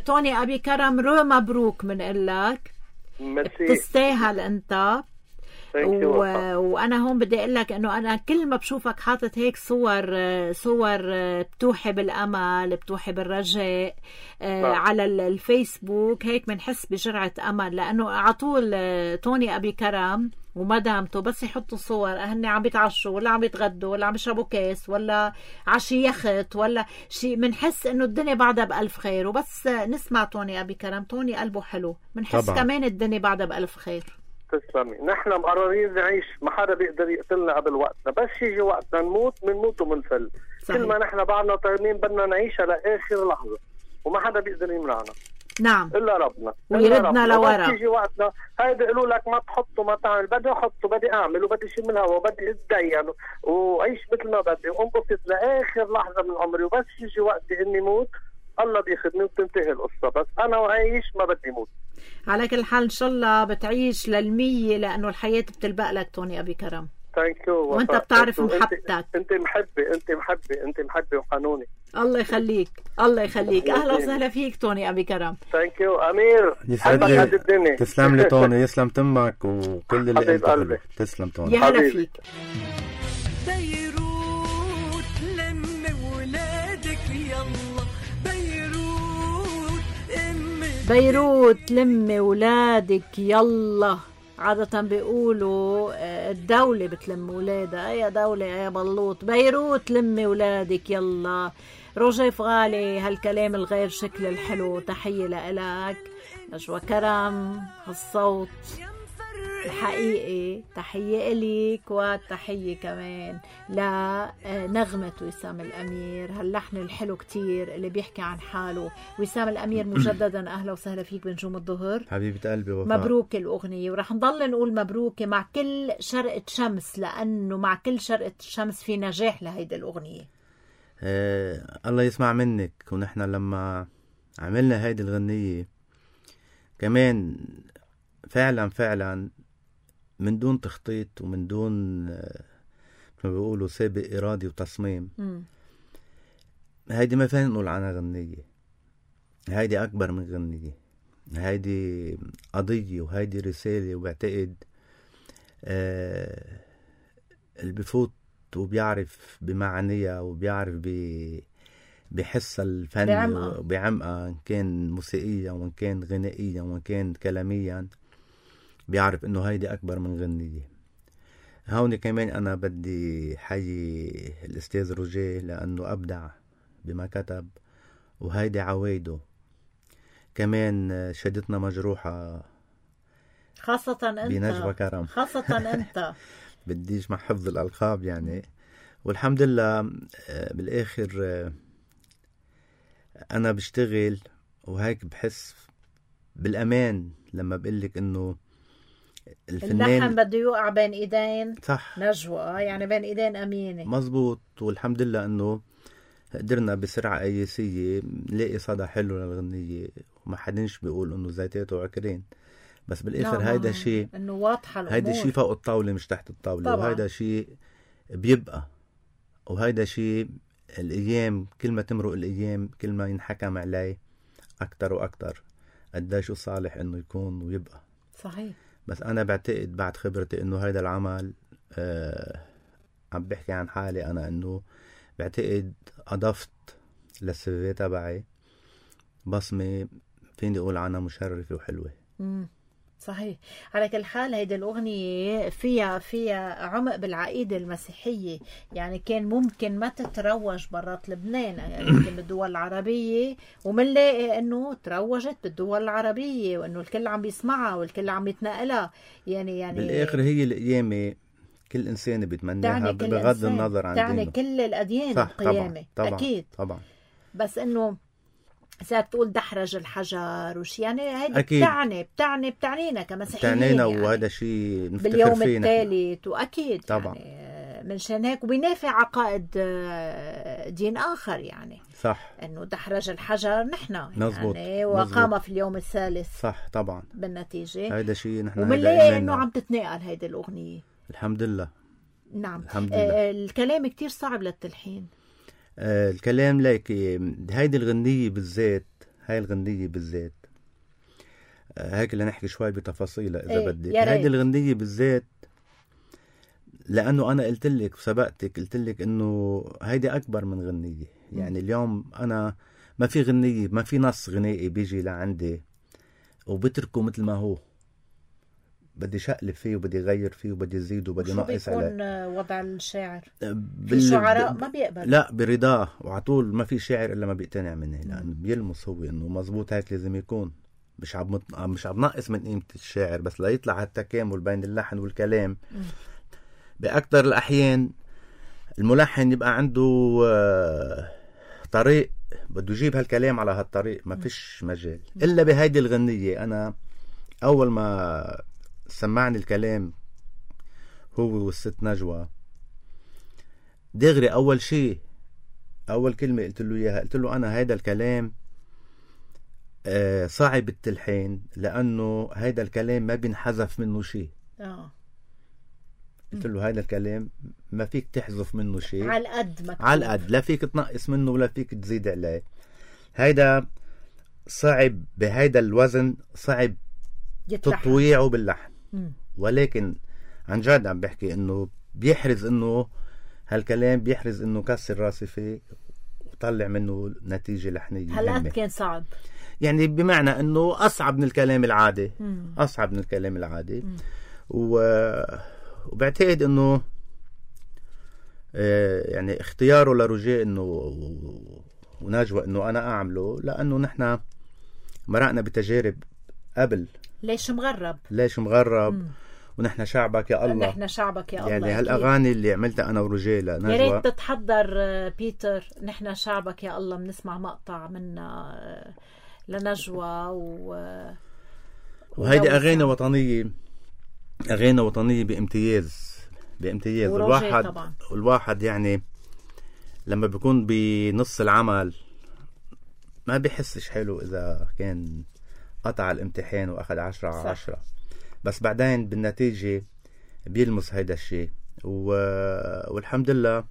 توني أبي كرم، مبروك من لك. تستاهل أنت. وأنا هون بدي أقول لك إنه أنا كل ما بشوفك حاطط هيك صور بتوحي بالأمل، بتوحي بالرجاء على الفيسبوك، هيك بنحس بجرعة أمل، لأنه عطول توني أبي كرم ومدامته بس يحطوا صور هن عم بيتعشوا ولا عم بيتغدوا ولا عم يشربوا كاس ولا عشي يخت ولا شيء، بنحس انه الدنيا بعدها بألف خير. وبس نسمع توني أبي كرم، توني قلبه حلو، بنحس كمان الدنيا بعدها بألف خير. تسلمي. نحن مقررين نعيش، ما حدا بيقدر يقتلنا قبل وقتنا، بس يجي وقتنا نموت ومنفل. كل ما نحن بعدنا طيبين بدنا نعيش لآخر لحظة، وما حدا بيقدر يمنعنا. نعم. إلا ربنا ويردنا لورا. بس يجي وقتنا هيدا يقولوا لك ما تحط وما تعمل، بدي احط وبدي اعمل وبدي شيل من الهواء وبدي اتدين واعيش مثل ما بدي وانبسط لاخر لحظه من عمري، وبس يجي وقتي اني موت الله بياخذني وبتنتهي القصه. بس انا وعايش ما بدي موت. على كل حال ان شاء الله بتعيش لل100، لانه الحياه بتلبق لك توني ابي كرم. ثانك يو. وانت بتعرف محبتك. انت محبه وحنوني. الله يخليك الله يخليك. اهلا وسهلا فيك توني ابي كرم. ثانك يو امير. تسلم لي توني، يسلم تمك وكل اللي انت قلبك. تسلم توني. يا هلا فيك. بيروت لم ولادك يلا، بيروت بيروت لم ولادك يلا. عادة بيقولوا الدولة بتلم ولادها. يا دولة يا بلوط، بيروت لمي ولادك يلا. روجي فغالي هالكلام الغير شكل الحلو، تحية لإلك نجوى كرم. هالصوت الحقيقي تحية إليك، وتحية كمان لنغمة وسام الأمير، هاللحن الحلو كتير اللي بيحكي عن حاله. وسام الأمير مجددا أهلا وسهلا فيك بنجوم الظهر حبيبة قلبي وفاء. مبروك الأغنية، ورح نضل نقول مبروك مع كل شرقة شمس، لأنه مع كل شرقة شمس في نجاح لهيدي الأغنية. الله يسمع منك. ونحن لما عملنا هيدي الغنية كمان فعلا من دون تخطيط ومن دون ما بيقولوا سابق إرادي وتصميم. هيدي ما فين نقول عنها غنية، هيدي أكبر من غنية، هيدي قضية وهيدي رسالة. وبعتقد اللي بفوت وبيعرف بمعانيها وبيعرف بحس الفن وبعمقها، إن كان موسيقيا وإن كان غنائيا وإن كان كلاميا، بيعرف إنه هيدي أكبر من غنية. هون كمان أنا بدي حيي الأستاذ روجيه لأنه أبدع بما كتب، وهيدي عوايده كمان شدتنا مجروحة، خاصة أنت بنجوى كرم، خاصة أنت بديش مع حفظ الألقاب يعني. والحمد لله بالآخر أنا بشتغل وهيك بحس بالأمان لما بقلك إنه الفنان اللحن بده يوقع بين إيدين صح نجوى، يعني بين إيدين أمينة مزبوط. والحمد لله إنه قدرنا بسرعة قياسية نلاقي صدى حلو للغنية، وما حدنش بيقول إنه زيتات وعكرين، بس بالآخر هيدا شيء إنه واضحة الأمور. هيدا شيء فوق الطاولة مش تحت الطاولة طبعا. وهيدا شيء بيبقى، وهيدا شيء الأيام كل ما تمرق الأيام كل ما ينحكم عليه أكتر وأكتر قديش صالح إنه يكون ويبقى صحيح. بس أنا بعتقد بعد خبرتي إنه هيدا العمل عم بحكي عن حالي أنا، إنه بعتقد أضفت للسيفي تبعي بصمة فيني أقول عنها مشرفة وحلوة. صحيح. على كل حال هيدي الأغنية فيها عمق بالعقيدة المسيحية، يعني كان ممكن ما تتروج برات لبنان، يعني يمكن بالدول العربية، ومنلاقي انه تروجت بالدول العربية وانه الكل عم بيسمعها والكل عم يتنقلها. يعني بالآخر هي القيامة كل إنسان بيتمناها بغض النظر عن تعني دينه. كل الأديان صح القيامة طبعا. أكيد طبعا. بس انه صارت تقول دحرج الحجر وش، يعني هيدي بتعنينا كمسيحيين بتعنينا يعني. وهذا شيء نفتخر باليوم فيه الثالث وأكيد طبعا. يعني منشان هيك وبينافع عقائد دين آخر، يعني صح إنه دحرج الحجر نحن مزبوط. يعني وقام في اليوم الثالث صح طبعا. بالنتيجة هذا شيء نحن ومنلاقي إنه عم تتنقل هيدي الأغنية الحمد لله. نعم الحمد لله. الكلام كتير صعب للتلحين. الكلام ليك هيدي الغنية بالذات، هاي الغنية بالذات هيك اللي نحكي شوي بتفاصيلها إذا بدك. هيدي الغنية بالذات لأنه أنا قلت لك وسبقتك قلت لك إنه هيدي أكبر من غنية. يعني اليوم أنا ما في غنية، ما في نص غنائي بيجي لعندي وبتركه مثل ما هو، بدي شقلب فيه وبدي غير فيه وبدي زيد وبدي نقص عليه. بيكون وضع الشاعر الشعراء ما بيقبل، لا برضاه وعطول ما في شاعر إلا ما بيقتنع منه، لأنه بيلمس هو إنه مزبوط هيك لازم يكون. مش عم نقص من قيمة الشاعر، بس لا يطلع هالتكامل بين اللحن والكلام. بأكتر الأحيان الملحن يبقى عنده طريق بده يجيب هالكلام على هالطريق، ما فيش مجال إلا بهيدي الغنية. أنا أول ما سمعني الكلام هو والست نجوى دغري أول شيء أول كلمة قلت له إياها، قلت له أنا هيدا الكلام صعب التلحين لأنه هيدا الكلام ما بينحذف منه شيء. قلت له هيدا الكلام ما فيك تحذف منه شيء، على القد مكتوب، على القد، لا فيك تنقص منه ولا فيك تزيد عليه. هيدا صعب بهيدا الوزن، صعب تطويعه باللحن. ولكن عن جد عم بحكي انه بيحرز انه هالكلام بيحرز انه كسر راسي فيه وطلع منه نتيجة لحنية. هالقد كان صعب، يعني بمعنى انه اصعب من الكلام العادي. اصعب من الكلام العادي. وبعتقد انه يعني اختياره لروجيه انه ونجوى انه انا اعمله لانه نحن مرقنا بتجارب قبل. ليش مغرب ونحن شعبك يا الله، نحن شعبك يا الله. يعني هالاغاني اللي عملتها انا وروجيه لنجوى، يا ريت تتحضر بيتر، نحن شعبك يا الله بنسمع مقطع منا لنجوى وهيدي اغاني وطنيه بامتياز. الواحد يعني لما بيكون بنص العمل ما بيحسش حلو اذا كان قطع الامتحان واخذ 10/10، بس بعدين بالنتيجة بيلمس هيدا الشيء. والحمد لله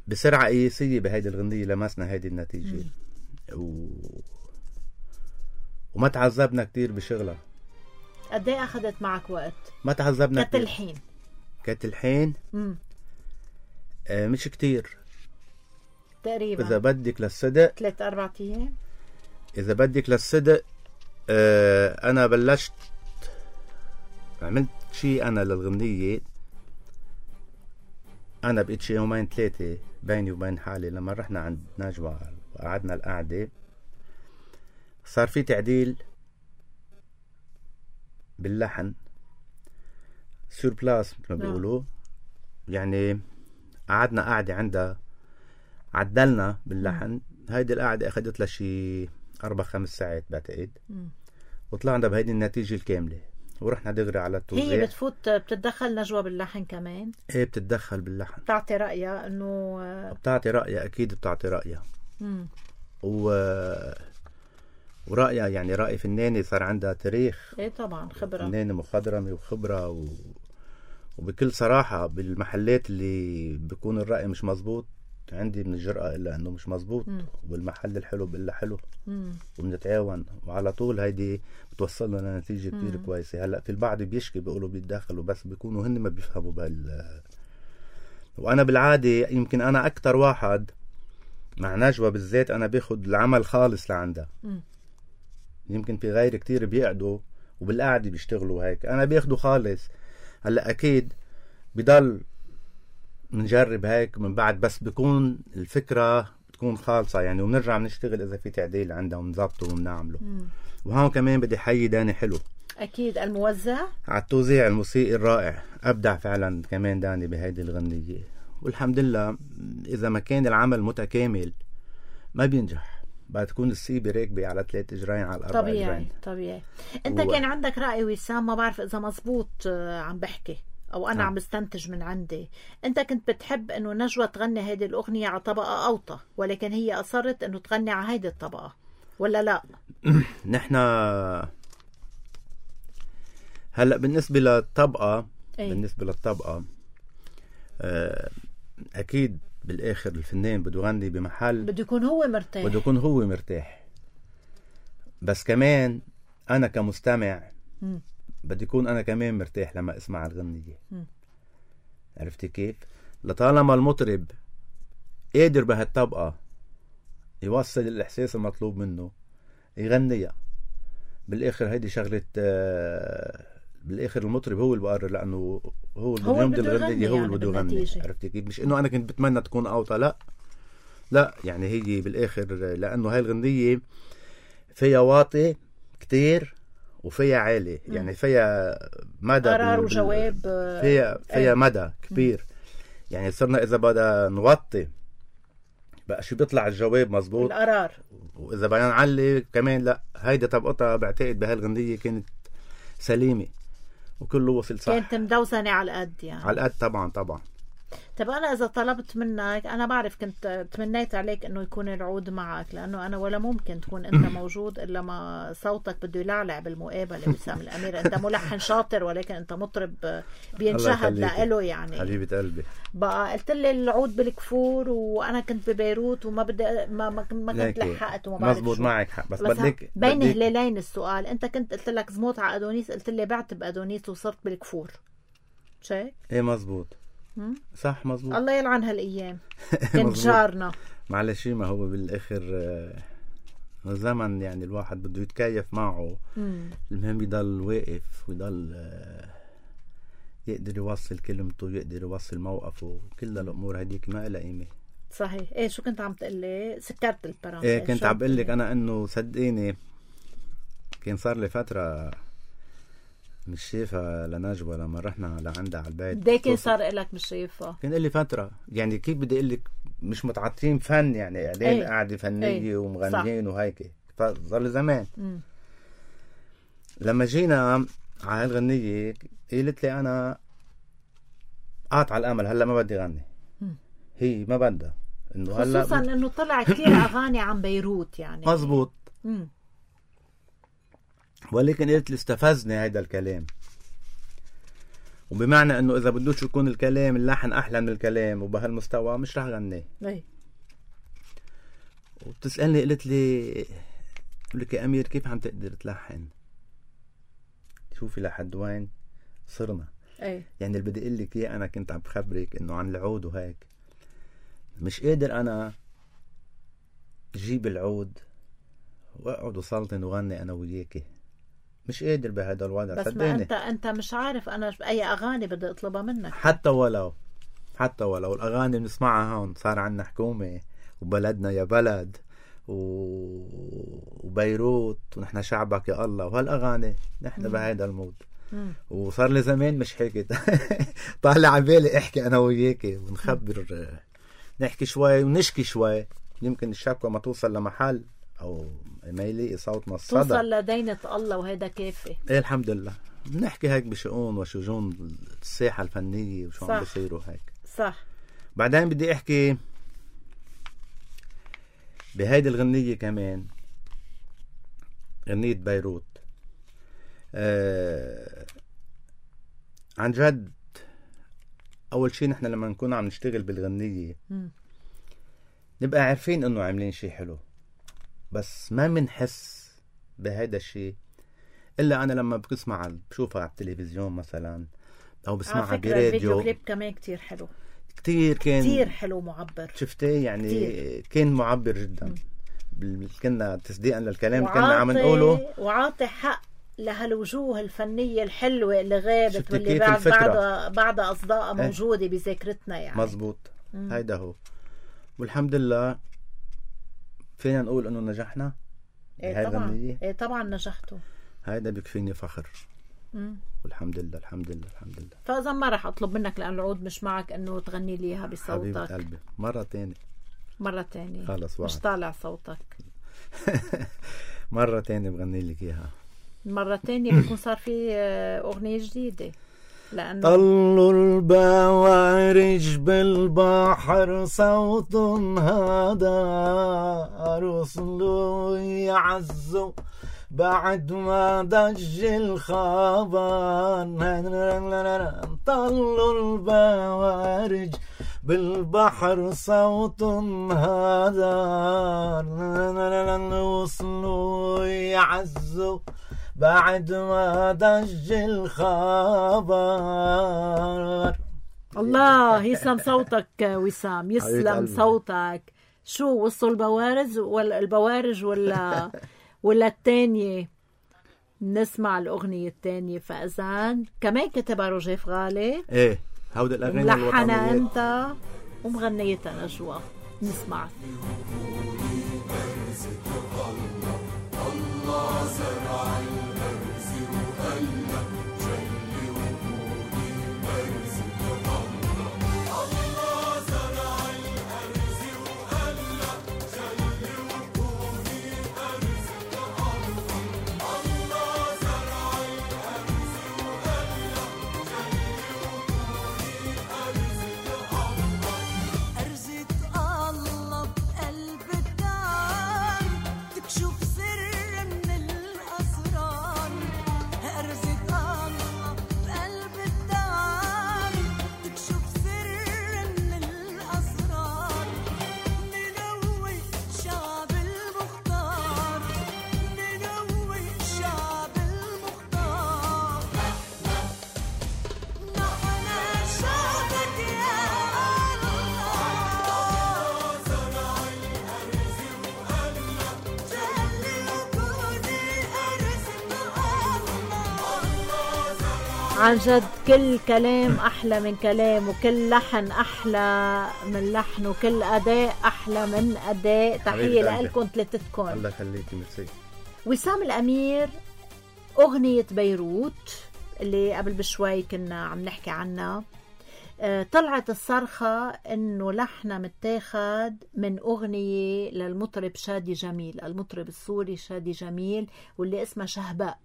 بسرعة قياسية بهيدي الغنية لمسنا هيدي النتيجة. وما تعذبنا كتير بشغلها. قد ايه اخذت معك وقت؟ ما تعذبنا كتلحين مش كتير تقريبا. إذا بدك للصدق 3-4 أيام. إذا بدك للصدق أنا بلشت عملت شيء أنا للغنية، أنا بقيت شيء 2-3 يوم بيني وبين حالي. لما رحنا عند نجوى وقعدنا القعدة صار في تعديل باللحن سور بلاس مثل ما بيقولوا، يعني قعدنا قعدة عندها عدلنا باللحن. هيدي القعدة أخذت لها شي 4-5 ساعات بعتقد، وطلعنا بهيدي النتيجة الكاملة ورحنا دغري على التوزيع. هي بتتدخل نجوى باللحن كمان؟ ايه بتتدخل باللحن، بتعطي رأيها انه بتعطي رأيها، اكيد بتعطي رأيها. ورأيها يعني رأي فناني صار عندها تاريخ. ايه طبعا خبرة، فنانة مخضرمة وخبرة وبكل صراحة بالمحلات اللي بيكون الرأي مش مزبوط عندي من الجرأة إلا أنه مش مزبوط، وبالمحل الحلو بإلا حلو، وبنتعاون وعلى طول هيدي بتوصلنا لنتيجة كتير كويسة. هلأ في البعض بيشكي بيقولوا بيتدخلوا، بس بيكونوا هن ما بيفهموا وأنا بالعادة يمكن أنا أكتر واحد مع نجوى بالذات أنا باخد العمل خالص لعندها. يمكن في غير كتير بيقعدوا وبالقعدة بيشتغلوا هيك، أنا باخده خالص. هلأ أكيد بضل منجرب هيك من بعد، بس بيكون الفكرة بتكون خالصة يعني، وبنرجع بنشتغل إذا في تعديل عندها ونظبطه وبنعمله. وهون كمان بدي حيي داني حلو، أكيد الموزع على التوزيع الموسيقي الرائع، أبدع فعلا كمان داني بهيدي الغنية. والحمد لله إذا ما كان العمل متكامل ما بينجح، بتكون السيبة راكبة على 3 إجرين على 4 إجرين. طبيعي. أنت كان عندك رأي وسام، ما بعرف إذا مزبوط عم بحكي أو أنا عم بستنتج من عندي. أنت كنت بتحب إنه نجوى تغني هيدي الأغنية على طبقة أوطى، ولكن هي أصرت إنه تغني على هيدي الطبقة، ولا لا؟ نحنا هلأ بالنسبة للطبقة أكيد بالآخر الفنان بده يغني بمحل بده يكون هو مرتاح، بس كمان أنا كمستمع بدي يكون أنا كمان مرتاح لما أسمع الغنية. عرفتي كيف؟ لطالما المطرب قادر بهالطبقة يوصل الإحساس المطلوب منه يغنيها. بالآخر هيدي شغلة، بالآخر المطرب هو اللي بقرر، لأنه هو اللي بده الغنية، هو اللي بده يغني. عرفتي كيف؟ مش إنه أنا كنت بتمنى تكون أوطى، لا يعني هي بالآخر لأنه هاي الغنية فيها واطي كتير وفيها عالي، يعني فيها مدى قرار وجواب، فيها مدى كبير. يعني صرنا إذا بدنا نوطي بقى شو بيطلع الجواب مزبوط القرار، وإذا بدنا نعلي كمان لا. هيدا طبقتها بعتقد بهالغنية كانت سليمة وكله وصل صح، كانت مدوزنة على القد يعني. على القد طبعا. طب أنا إذا طلبت منك، أنا بعرف كنت تمنيت عليك إنه يكون العود معك، لأنه أنا ولا ممكن تكون أنت موجود إلا ما صوتك بده يلعلع بالمقابلة. وسام الأمير أنت ملحن شاطر، ولكن أنت مطرب بينشهد لإله يعني. حبيبة قلبي. بقى قلت لي العود بالكفور وأنا كنت ببيروت وما بدي ما كنت لحقت وما بعرف مزبوط. معك حق، بس بدك بين هلالين السؤال. أنت كنت قلت لك زموت على أدونيس، قلت لي بعت بأدونيس وصرت بالكفور. شايف؟ إيه مزبوط صح مزبوط. الله يلعن هالأيام كنت جارنا. معلش ما هو بالآخر زمن يعني الواحد بده يتكيف معه. المهم يضل واقف ويضل يقدر يوصل كلمته، يقدر يوصل موقفه. كل الأمور هديك ما إلها قيمة. صحيح. ايه شو كنت عم تقلي؟ سكرت البرامج. ايه كنت عم بقلك أنا إنه صدقيني كان صار لي فترة مش شايفها لنجوى لما رحنا لعندها على البيت. ده كان صار إلك مش شايفها؟ كان لي فترة يعني كيف بدي أقلك مش متعاطين فن يعني قاعدين قاعدة فنية ومغنيين وهيك. صار لي زمان. لما جينا على هالغنية قلت لي أنا قاطع الأمل، هلا ما بدي غني. هي ما بدها إنه هلا، خصوصا إنه طلع كتير أغاني عن بيروت يعني. مزبوط. ولكن قلت لي استفزني هيدا الكلام، وبمعنى إنه إذا بدوش يكون الكلام اللحن أحلى من الكلام وبهالمستوى مش رح غني. وبتسألني قلت لي يا أمير كيف عم تقدر تلحن؟ شوفي لحد وين صرنا. يعني اللي بدي اقول لك اياه انا كنت عم بخبرك انه عن العود وهيك. مش قادر انا جيب العود واقعد وسلطن وغني انا وياكي، مش قادر بهذا الوضع. بس صدقني ما انت مش عارف انا اي اغاني بدي اطلبها منك. حتى ولو الاغاني بنسمعها هون. صار عندنا حكومة وبلدنا يا بلد وبيروت ونحن شعبك يا الله وهالاغاني نحن بهذا المود. وصار لي زمان مش حكيت طالع عبالي احكي انا وياكي ونخبر، نحكي شوي ونشكي شوي. يمكن الشكوى ما توصل لمحل او ما يلاقي صوتنا الصدى، توصل لدينة الله وهذا كافي. ايه الحمد لله. بنحكي هيك بشؤون وشجون الساحة الفنية وشو عم بيصيروا هيك. صح. بعدين بدي احكي بهيدي الغنية كمان، غنية بيروت. عن جد اول شيء نحن لما نكون عم نشتغل بالغنية نبقى عارفين انه عاملين شيء حلو، بس ما منحس بهيدا الشيء الا انا لما بشوفها على التلفزيون مثلا او بسمعها براديو. الفيديو كليب كمان كتير حلو، كتير حلو معبر. شفتيه يعني كتير. كان معبر جدا. كنا تصديقا للكلام اللي كنا عم نقوله، وعاطي حق لهالوجوه الفنية الحلوة اللي غابت واللي بعد أصداء موجودة بذاكرتنا يعني. مزبوط. هيدا هو. والحمد لله فينا نقول انه نجحنا. طبعا. طبعا نجحتوا. هيدا بيكفيني فخر. والحمد لله الحمد لله الحمد لله. فإذا ما رح أطلب منك لأن العود مش معك إنه تغني لي إياها بصوتك. حبيبة قلبي مرة تانية خلص مش طالع صوتك. مرة تانية بغني لك إياها. مرة تانية بيكون صار في أغنية جديدة. لأنه طلوا البوارج بالبحر صوت هذا رسلوا يعزوا بعد ما ضج الخبر. طلوا البوارج بالبحر صوت هذا وصلوا يعزوا بعد ما ضج الخبر. الله يسلم صوتك وسام، يسلم صوتك. شو وصلوا البوارج ولا التانية؟ نسمع الأغنية التانية. فأذان كمان كتبها روجيف غالي. ايه هودي الأغاني ملحنة أنت ومغنيتها نجوى. نسمع. الله زرع الأرز وقلب جلي وكوني أرز الله زرع الأرز وقلب جلي وكوني أرز الله زرع الأرز وقلب جلي وكوني أرز أرزة الله بقلب عن جد كل كلام أحلى من كلام، وكل لحن أحلى من لحن، وكل أداء أحلى من أداء. تحية لألكم ثلاثتكم. الله يخليكي. ميرسي. وسام الأمير، أغنية بيروت اللي قبل بشوي كنا عم نحكي عنها، طلعت الصرخة انه لحنها متاخد من اغنية للمطرب شادي جميل، المطرب السوري شادي جميل، واللي اسمها شهباء.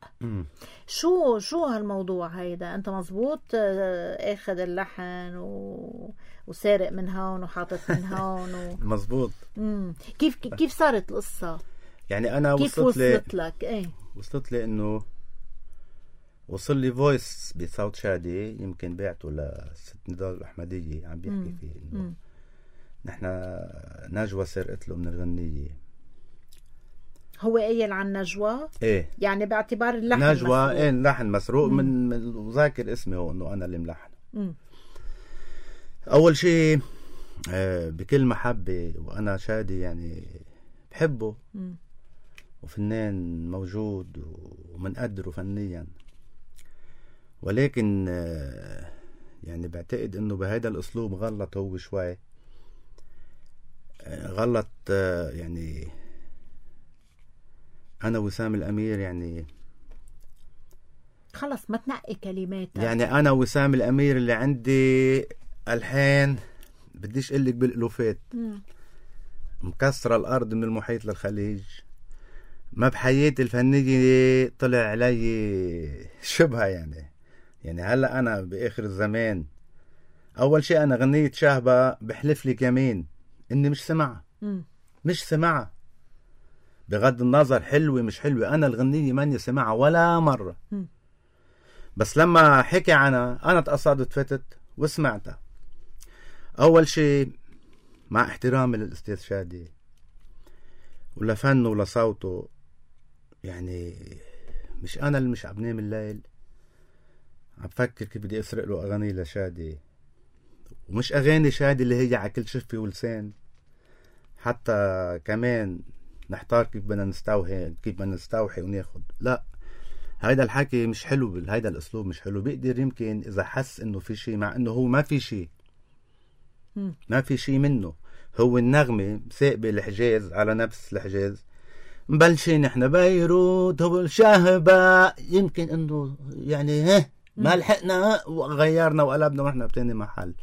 شو هالموضوع هيدا؟ انت مزبوط اخذ اللحن وسارق من هون وحاطط من هون مزبوط. كيف صارت القصة؟ يعني انا كيف وصلت لك؟ ايه وصلت لي انه وصل لي فويس بصوت شادي، يمكن بعته لست نضال الأحمدية، عم بيحكي فيه إنه نحن نجوى سرقت له من الغنية. هو قايل عن نجوى؟ إيه، يعني باعتبار اللحن نجوى مسروق. إيه، اللحن مسروق من وذاكر اسمي هو إنه أنا اللي ملحنه. أول شيء بكل محبة، وأنا شادي يعني بحبه وفنان موجود ومنقدره فنيا، ولكن يعني بعتقد انه بهذا الاسلوب غلط هو شوي، غلط. يعني انا وسام الامير يعني خلص ما تنقي كلماتك. يعني انا وسام الامير اللي عندي الحين بديش اقلك بالالوفات، مكسرة الارض من المحيط للخليج. ما بحياتي الفنية طلع علي شبهة يعني هلأ أنا بآخر الزمان أول شيء أنا غنية شهبة بحلف لك يمين إني مش سمعها بغض النظر حلوة مش حلوة، أنا الغنية ماني سمعها ولا مرة. بس لما حكي عنها أنا تقصدت فتت وسمعتها. أول شيء مع احترامي للأستاذ شادي ولا فنه ولا صوته، يعني مش أنا اللي مش عم نام الليل عم فكر كيف بدي أسرق له أغاني لشادي، ومش أغاني شادي اللي هي على كل شفة ولسان، حتى كمان نحتار كيف بدنا نستوحي وناخد. لا، هيدا الحكي مش حلو، هيدا الأسلوب مش حلو. بيقدر يمكن إذا حس إنه في شيء، مع إنه هو ما في شيء منه. هو النغمة ساقبة الحجاز على نفس الحجاز، مبلشين نحن بيروت هو الشهبة، يمكن انه يعني ما لحقنا وغيرنا وقلبنا ونحن بتاني محل.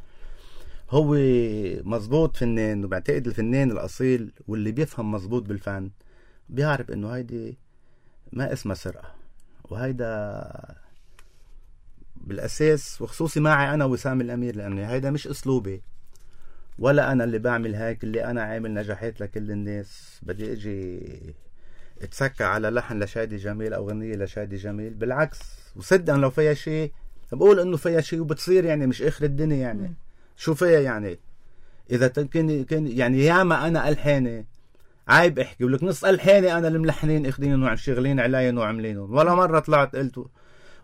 هو مزبوط فنان، وبعتقد الفنان الأصيل واللي بيفهم مزبوط بالفن بيعرف انه هيدي ما اسمها سرقة، وهيدا بالأساس وخصوصي معي أنا وسام الأمير، لأنه هيدا مش أسلوبي ولا أنا اللي بعمل هيك. اللي أنا عامل نجاحات لكل الناس بدي أجي اتسكى على لحن لشادي جميل أو غنية لشادي جميل؟ بالعكس، وصدقا لو فيها شيء بقول إنه فيها شيء وبتصير، يعني مش آخر الدنيا. يعني شو فيها يعني؟ إذا كان يعني ياما أنا ألحاني عيب احكي ولك نص ألحاني أنا الملحنين اخدينهم وشغلين علي وعملينهم، ولا مرة طلعت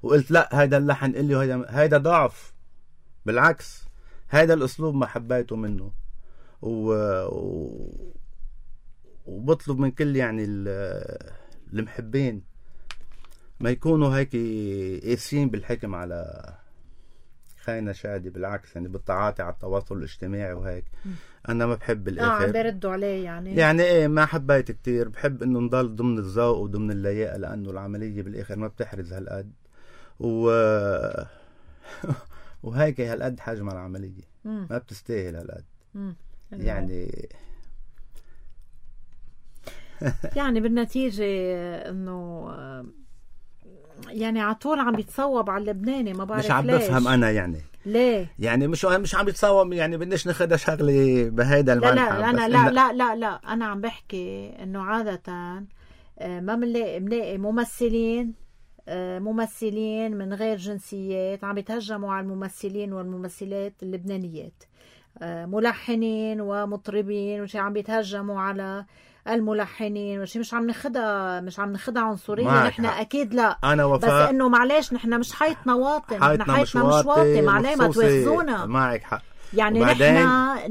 وقلت لا هيدا اللحن إلي وهيدا ضعف. بالعكس، هيدا الأسلوب ما حبيته منه، وبطلب من كل يعني المحبين ما يكونوا هيك قاسيين بالحكم على خاينة شادي. بالعكس، يعني بالتعاطي على التواصل الاجتماعي وهيك. أنا ما بحب الآخر عم بيردوا عليه يعني إيه، ما حبيت كتير. بحب إنه نضل ضمن الذوق وضمن اللياقة، لأنه العملية بالآخر ما بتحرز هالقد وهيك هالقد حجم العملية ما بتستاهل هالقد. يعني بالنتيجة انه يعني عطول عم بيتصوب على اللبناني، ما بعرف مش عم بفهم انا يعني ليه يعني مش عم بيتصوب. يعني بدناش ناخدها شغلة بهيدا المنحى. لا أنا لا انا عم بحكي انه عادة ما بنلاقي ممثلين من غير جنسيات عم يتهجموا على الممثلين والممثلات اللبنانيات، ملحنين ومطربين وشي عم بيتهجموا على الملحنين وشي. مش عم نخدع عنصرية نحن، اكيد لا. أنا وفاء، بس انه معلش نحن مش حيطنا واطي، نحن حيطنا مش واطي. معلش ما تواخذونا. معك حق. يعني وبعدين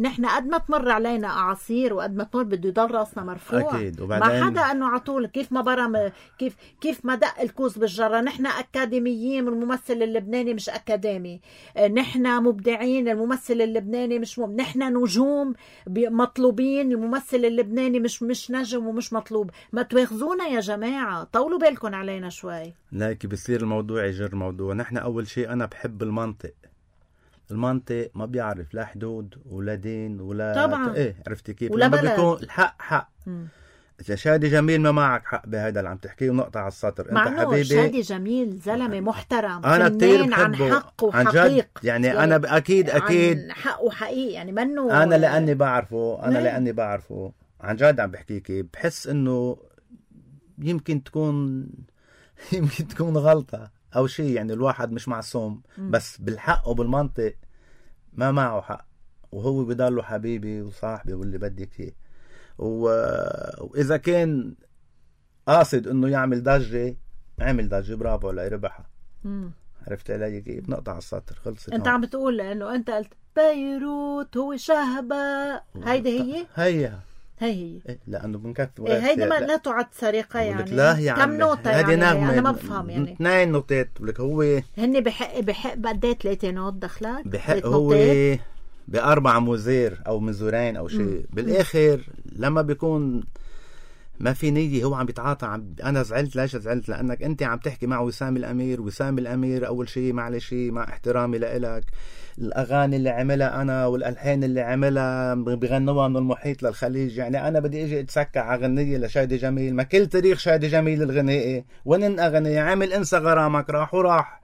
نحن قد ما تمر علينا اعاصير وقد ما تمر بده يضل راسنا مرفوع. أكيد. ما وبعدين حدا انه عطول كيف ما برم كيف ما دق الكوز بالجره. نحن اكاديميين والممثل اللبناني مش اكاديمي. نحن مبدعين، الممثل اللبناني مش نحن نجوم مطلوبين، الممثل اللبناني مش نجم ومش مطلوب. ما تواخذونا يا جماعه، طولوا بالكم علينا شوي. لكن بصير الموضوع يجر موضوع. نحن أول شيء أنا بحب المنطق ما بيعرف لا حدود ولا دين ولا طبعا. إيه، عرفتي كيف؟ ولا لما بلد. بيكون الحق حق. إذا شادي جميل ما معك حق بهذا اللي عم تحكيه ونقطع على السطر. مع أنت إنه حبيبي شادي جميل زلمة محترم، أنا كتير فنان عن بحبه حق عن جد. وحقيق. يعني أنا أكيد عن حق وحقيقي، يعني منه. أنا لأني بعرفه نعم. لأني بعرفه عن جد عم بحكيكي، بحس إنه يمكن تكون غلطة أو شيء. يعني الواحد مش معصوم، بس بالحق وبالمنطق ما معه حق، وهو بضله حبيبي وصاحبي واللي بدك اياه. وإذا كان قاصد إنه يعمل ضجة، عمل ضجة، برافو عليه، ربحها. عرفت علي كيف؟ نقطع على السطر، خلصت. أنت عم بتقول إنه أنت قلت بيروت هو شهبة، هيدي هي إيه، لأنه بنكفي هيدي ما لا تعد سرقة يعني. لا يا كم نوتة يعني؟ نغمة. أنا ما بفهم يعني. 2 نوتات ولك هو هني بحق قد ايه 3 نوت دخلك؟ بحق هو ب4 مزير أو مزورين أو شيء. بالآخر لما بيكون ما في نية هو عم بيتعاطى. أنا زعلت. ليش زعلت؟ لأنك أنت عم تحكي مع وسام الأمير أول شيء، معلش مع احترامي لإلك، الأغاني اللي عملها أنا والألحان اللي عملها بغنوها من المحيط للخليج. يعني أنا بدي أجي أتسكع على غنية لشادي جميل؟ ما كل تاريخ شادي جميل الغنائي وين أغنية عامل انسى غرامك راح وراح.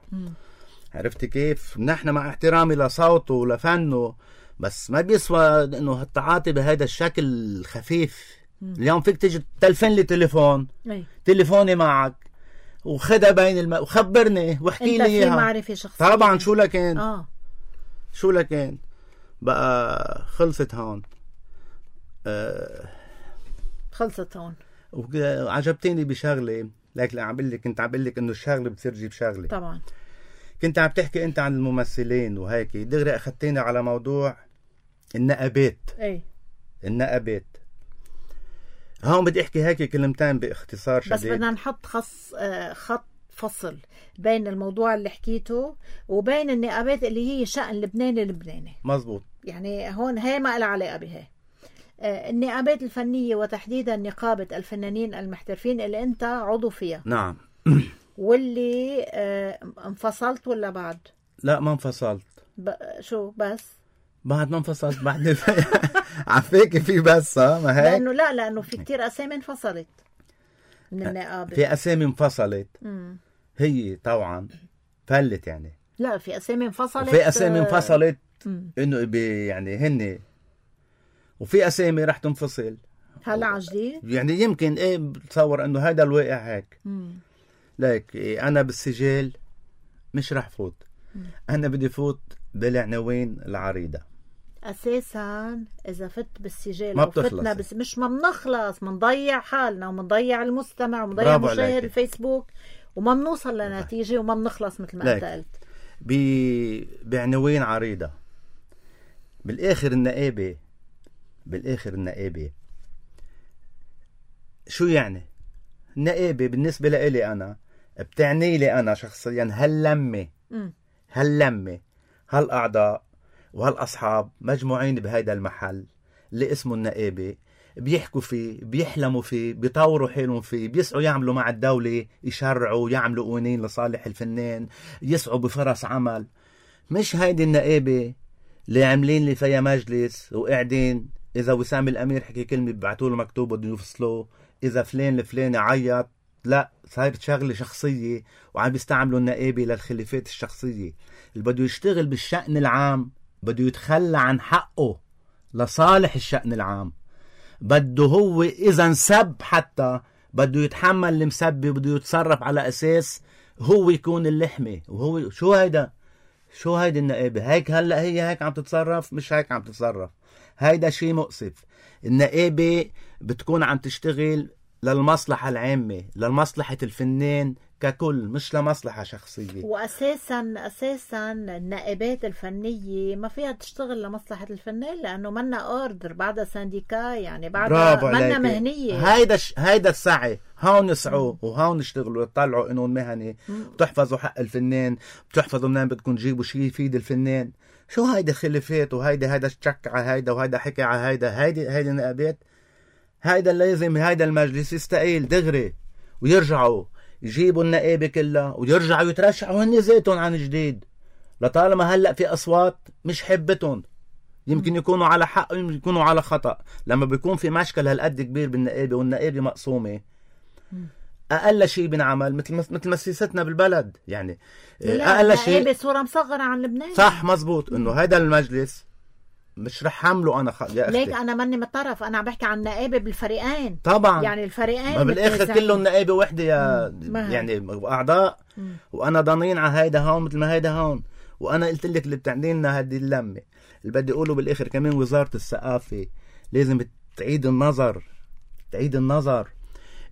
عرفتي كيف؟ نحن مع احترامي لصوته ولفنه، بس ما بيسوى إنه التعاطي بهذا الشكل الخفيف. اليوم فيك تيجي تلفن لي تليفون، تليفوني معك وخدها بين وخبرني واحكي لي اياها. انت في معرفة شخصية طبعا. شو لكن بقى خلصت هون. خلصت هون. وعجبتني بشغله، لكن كنت عم بقول لك انه الشغله بتصير تجيب شغله. طبعا. كنت عم تحكي انت عن الممثلين وهيك، دغري اخذتيني على موضوع النقابات. النقابات هون بدي احكي هيك كلمتين باختصار شديد، بس بدنا نحط خط فصل بين الموضوع اللي حكيته وبين النقابات اللي هي شأن لبناني. مزبوط. يعني هون هي ما لها علاقة بها. النقابات الفنية وتحديدا نقابة الفنانين المحترفين اللي انت عضو فيها. نعم. واللي انفصلت ولا بعد؟ لا ما انفصلت. شو بس؟ بعد ما انفصلت بعد عفاكي في بس ما هيك؟ لأنه في كتير أسامي انفصلت من النقابة. في أسامي انفصلت. هي طبعا فلت يعني. لا في أسامي انفصلت. وفي أسامي انفصلت إنه يعني هني، وفي أسامي رح تنفصل هلا عجدي. يعني يمكن بتصور إنه هذا الواقع هيك. لك أنا بالسجل مش رح فوت. أنا بدي فوت بالعناوين العريضة. أساسا إذا فت بالسجل ما وفتنا بس مش ما بنخلص، منضيع حالنا ومنضيع المستمع ومنضيع مشاهد الفيسبوك وما بنوصل لنتيجة وما بنخلص مثل ما أنت قلت. بعناوين عريضة. بالآخر النقابة شو يعني؟ النقابة بالنسبة لإلي أنا بتعني لي أنا شخصيا هاللمة هالأعضاء وهالأصحاب مجموعين بهيدا المحل اللي اسمه النقابة، بيحكوا فيه، بيحلموا فيه، بيطوروا حالهم فيه، بيسعوا يعملوا مع الدولة، يشرعوا، يعملوا قوانين لصالح الفنان، يسعوا بفرص عمل. مش هيدي النقابة اللي عاملين لي فيها مجلس وقاعدين إذا وسام الأمير حكي كلمة ببعتوا له مكتوب بده يفصلوه، إذا فلان الفلاني عيط. لا، صارت شغلة شخصية وعم بيستعملوا النقابة للخلافات الشخصية. اللي بده يشتغل بالشأن العام بده يتخلى عن حقه لصالح الشأن العام. بده هو إذا انسب حتى بده يتحمل المسبة، بده يتصرف على أساس هو يكون اللحمة. وهو شو هيدا النقابة هيك؟ هلأ هي هيك عم تتصرف؟ مش هيك عم تتصرف. هيدا شيء مؤسف. النقابة بتكون عم تشتغل للمصلحة العامة، للمصلحة الفنان ككل، مش لمصلحة شخصية. واساسا النائبات الفنيه ما فيها تشتغل لمصلحه الفنان، لانه منا اوردر، بعدها سانديكا، يعني بعدها منا مهنيه. هيدا السعي، هون يسعوا وهون يشتغلوا، يطلعوا قانون مهني، بتحفظوا حق الفنان، بتحفظوا منين بدكم تجيبوا شيء يفيد الفنان. شو هيدا خلافات، وهيدا شك على هيدا، وهيدا حكي على هيدا. هيدا نائبات، هيدا لازم هيدا المجلس يستقيل دغري، ويرجعوا يجيبوا النائبة كلها ويرجعوا يترشحوا هن ذاتهم عن جديد. لطالما هلأ في أصوات مش حبتهم، يمكن يكونوا على حق ويمكن يكونوا على خطأ. لما بيكون في مشكل هالقد كبير بالنائبة والنائبة مقسومة، أقل شيء بنعمل مثل مسيستنا بالبلد، يعني أقل شيء النائبة صورة مصغرة عن لبنان. صح مزبوط، إنه هذا المجلس مش رح حمله أنا يا أختي. ليك أنا ماني مطرف، أنا عم بحكي عن نائبة بالفريقين طبعا، يعني الفريقين ما بالآخر كلهم نائبة وحدة يا يعني أعضاء. وأنا ضنين على هيدا هون مثل ما هيدا هون. وأنا قلت لك اللي بتعني لنا هذه اللمة اللي بدي أقوله بالآخر كمان، وزارة الثقافة لازم تعيد النظر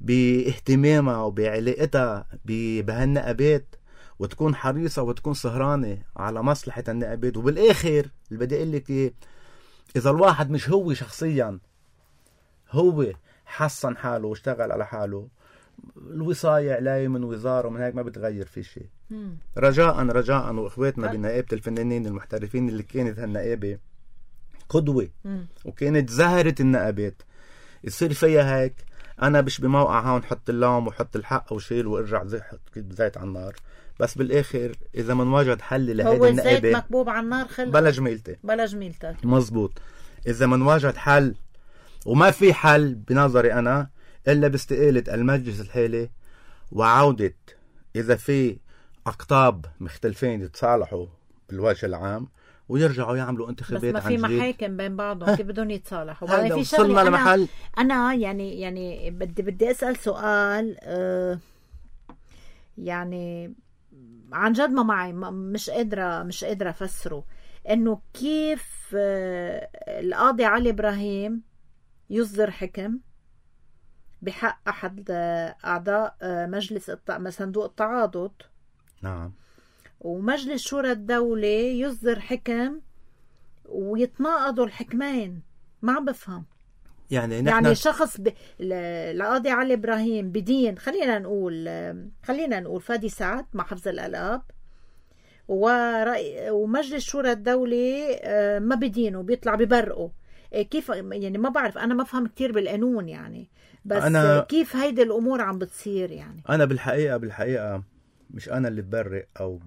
باهتمامها وبعلاقتها بهالنقابات، وتكون حريصة وتكون سهرانة على مصلحة النقابات. وبالآخر اللي بدي أقول لك إيه، إذا الواحد مش هو شخصيا هو حسن حاله واشتغل على حاله، الوصاية عليه من وزارة ومن هيك ما بتغير في شيء. رجاء وإخواتنا بنقابة الفنانين المحترفين اللي كانت هالنقابة قدوة وكانت زهرة النقابات، يصير فيها هيك. أنا مش بموقع هون حط اللوم وحط الحق وشيل وارجع زيت على النار. بس بالآخر إذا من وجد حل لهذه النقابة، هو الزيت مكبوب على النار خلق بلا جميلته. مزبوط. إذا من وجد حل، وما في حل بنظري أنا إلا باستقالة المجلس الحالي، وعودة إذا في أقطاب مختلفين يتصالحوا بالوجه العام ويرجعوا يعملوا انتخابات عن جديد. بس ما في محاكم بين بعضهم، كيف بدهم يتصالحوا؟ هذا في وصلنا لمحل. أنا يعني بدي أسأل سؤال، يعني عن جد ما معي، مش قادرة أفسره، إنه كيف القاضي علي إبراهيم يصدر حكم بحق أحد أعضاء مجلس صندوق التعاضد، نعم، ومجلس شورى الدولة يصدر حكم ويتناقضوا الحكمين. ما عم بفهم يعني شخص القاضي علي إبراهيم بدين، خلينا نقول فادي سعد مع حفظ الألقاب، ومجلس شورى الدولة ما بدينه، بيطلع ببرقه. كيف يعني؟ ما بعرف، أنا ما فهم كتير بالقانون يعني، بس كيف هيدي الأمور عم بتصير يعني؟ أنا بالحقيقة مش أنا اللي ببرق أو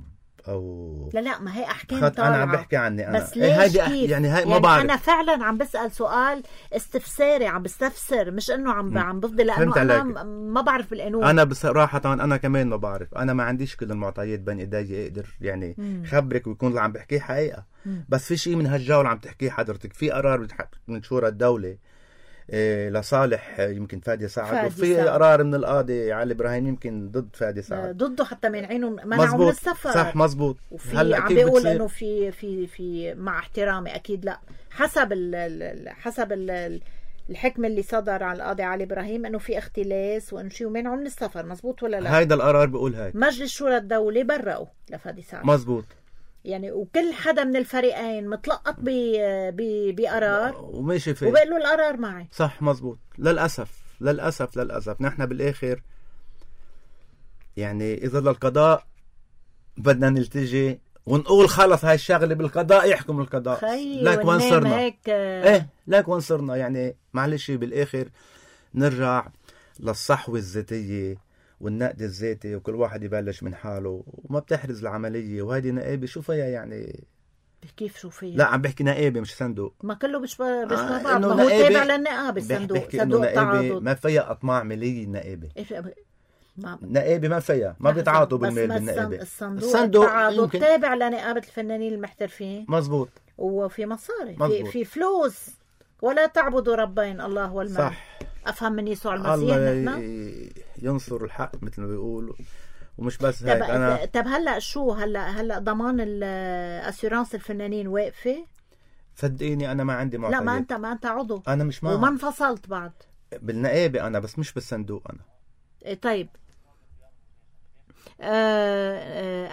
لا ما هي أحكام طالعة. أنا عم بحكي عني أنا، بس ليش كيف؟ يعني هاي ما يعني بعرف. أنا فعلا عم بسأل سؤال استفساري، عم بستفسر، مش إنه عم بفضل، لأنه أنا ما بعرف بالقانون. أنا بصراحة أنا كمان ما بعرف، أنا ما عنديش كل المعطيات بين إيدي أقدر يعني خبرك ويكون اللي عم بحكيه حقيقة. بس في شيء من هالجولة عم تحكيه حضرتك، في قرار من شورى الدولة لصالح يمكن فادي سعد، وفي قرار من القاضي علي إبراهيم يمكن ضد فادي سعد، ضده حتى منعينه منعه من السفر. صح مزبوط. هلا عم بيقول انه في مع احترامي اكيد لا، حسب الحكم اللي صدر على القاضي علي إبراهيم انه في اختلاس وانه شيء ومنعه من السفر. مزبوط ولا لا؟ هيدا القرار بيقول هيك. مجلس شورى الدولة برقوا لفادي سعد. مزبوط. يعني وكل حدا من الفريقين متلقط بقرار وماشي فيه وبقول له القرار معي. صح مزبوط. للأسف نحن بالآخر يعني إذا للقضاء بدنا نلتجي ونقول خلص هاي الشغلة بالقضاء، يحكم القضاء. لك وين صرنا؟ لك وين صرنا؟ يعني معلش بالآخر نرجع للصحوة الذاتية والنقد الذاتي، وكل واحد يبلش من حاله وما بتحرز العملية. وهذه نقابة شو فيها يعني؟ كيف شو فيها؟ لا عم بحكي نقابة مش صندوق. ما كله بيشبه بعض، ما هو تابع للنقابة الصندوق. صندوق التعاضد ما فيها أطماع مالية. النقابة نقابة ما فيها، ما بيتعاطوا بالمال بالنقابة. الصندوق التعاضد تابع لنقابة الفنانين المحترفين. مزبوط. وفي مصاري، في فلوس. ولا تعبدوا ربين الله والمال. صح. أفهم من يسوع المسيح. الله ينصر الحق مثل ما بيقولوا. ومش بس هيك. أنا طب هلا شو هلا ضمان الأسيرانس الفنانين واقفة؟ صدقيني أنا ما عندي معطيات. لا ما أنت عضو. أنا مش معه. وما انفصلت بعد. بالنقابة أنا، بس مش بالصندوق أنا. طيب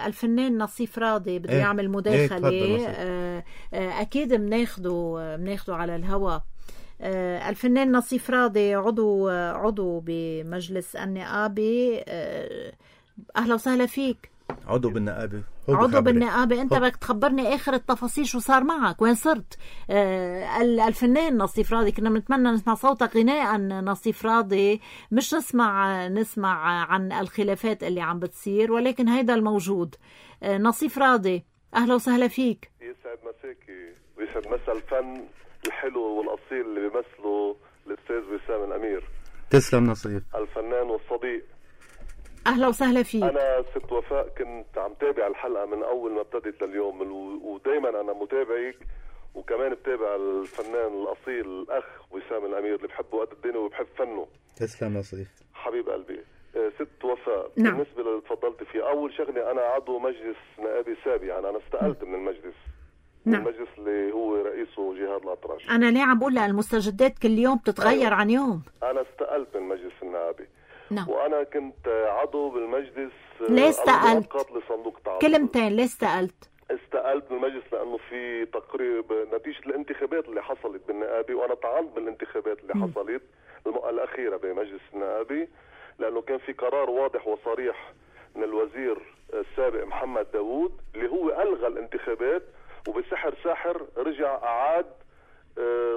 الفنان نصيف راضي بده يعمل مداخلة. أكيد بناخده على الهواء. الفنان نصيف راضي عضو بمجلس النقابة. أهلا وسهلا فيك. عضو بالنقابة. أنت بدك تخبرني آخر التفاصيل، شو صار معك، وين صرت؟ الفنان نصيف راضي، كنا بنتمنى نسمع صوتك غناء نصيف راضي، مش نسمع عن الخلافات اللي عم بتصير، ولكن هيدا الموجود. نصيف راضي أهلا وسهلا فيك. يسعد مساكي ويسعد مسا الفن الحلو والأصيل اللي بيمثله الأستاذ وسام الأمير. تسلم نصيف. الفنان والصديق. أهلا وسهلا فيك. أنا ست وفاء كنت عم تابع الحلقة من أول ما ابتدت لليوم، ودايما أنا متابعك، وكمان بتابع الفنان الأصيل الأخ وسام الأمير اللي بحبه قد الدنيا وبحب فنه. تسلم نصيف. حبيب قلبي. ست وفاء، نعم. بالنسبة اللي تفضلت فيه، أول شغلة أنا عضو مجلس نقابي سابق، يعني أنا استقلت من المجلس. نعم. المجلس اللي هو رئيسه جهاد الأطرش. أنا ليه عم بقول المستجدات كل يوم بتتغير عن يوم. أنا استقلت من مجلس النقابي. نعم. وأنا كنت عضو بالمجلس. ليه استقلت؟ لصندوق التعاطف. كلمتين، ليه استقلت؟ استقلت من المجلس لأنه في تقريب نتيجة الانتخابات اللي حصلت بالنقابي، وأنا طعنت بالانتخابات اللي حصلت الأخيرة بمجلس النقابي، لأنه كان في قرار واضح وصريح من الوزير السابق محمد داوود اللي هو ألغى الانتخابات، وبسحر ساحر رجع أعاد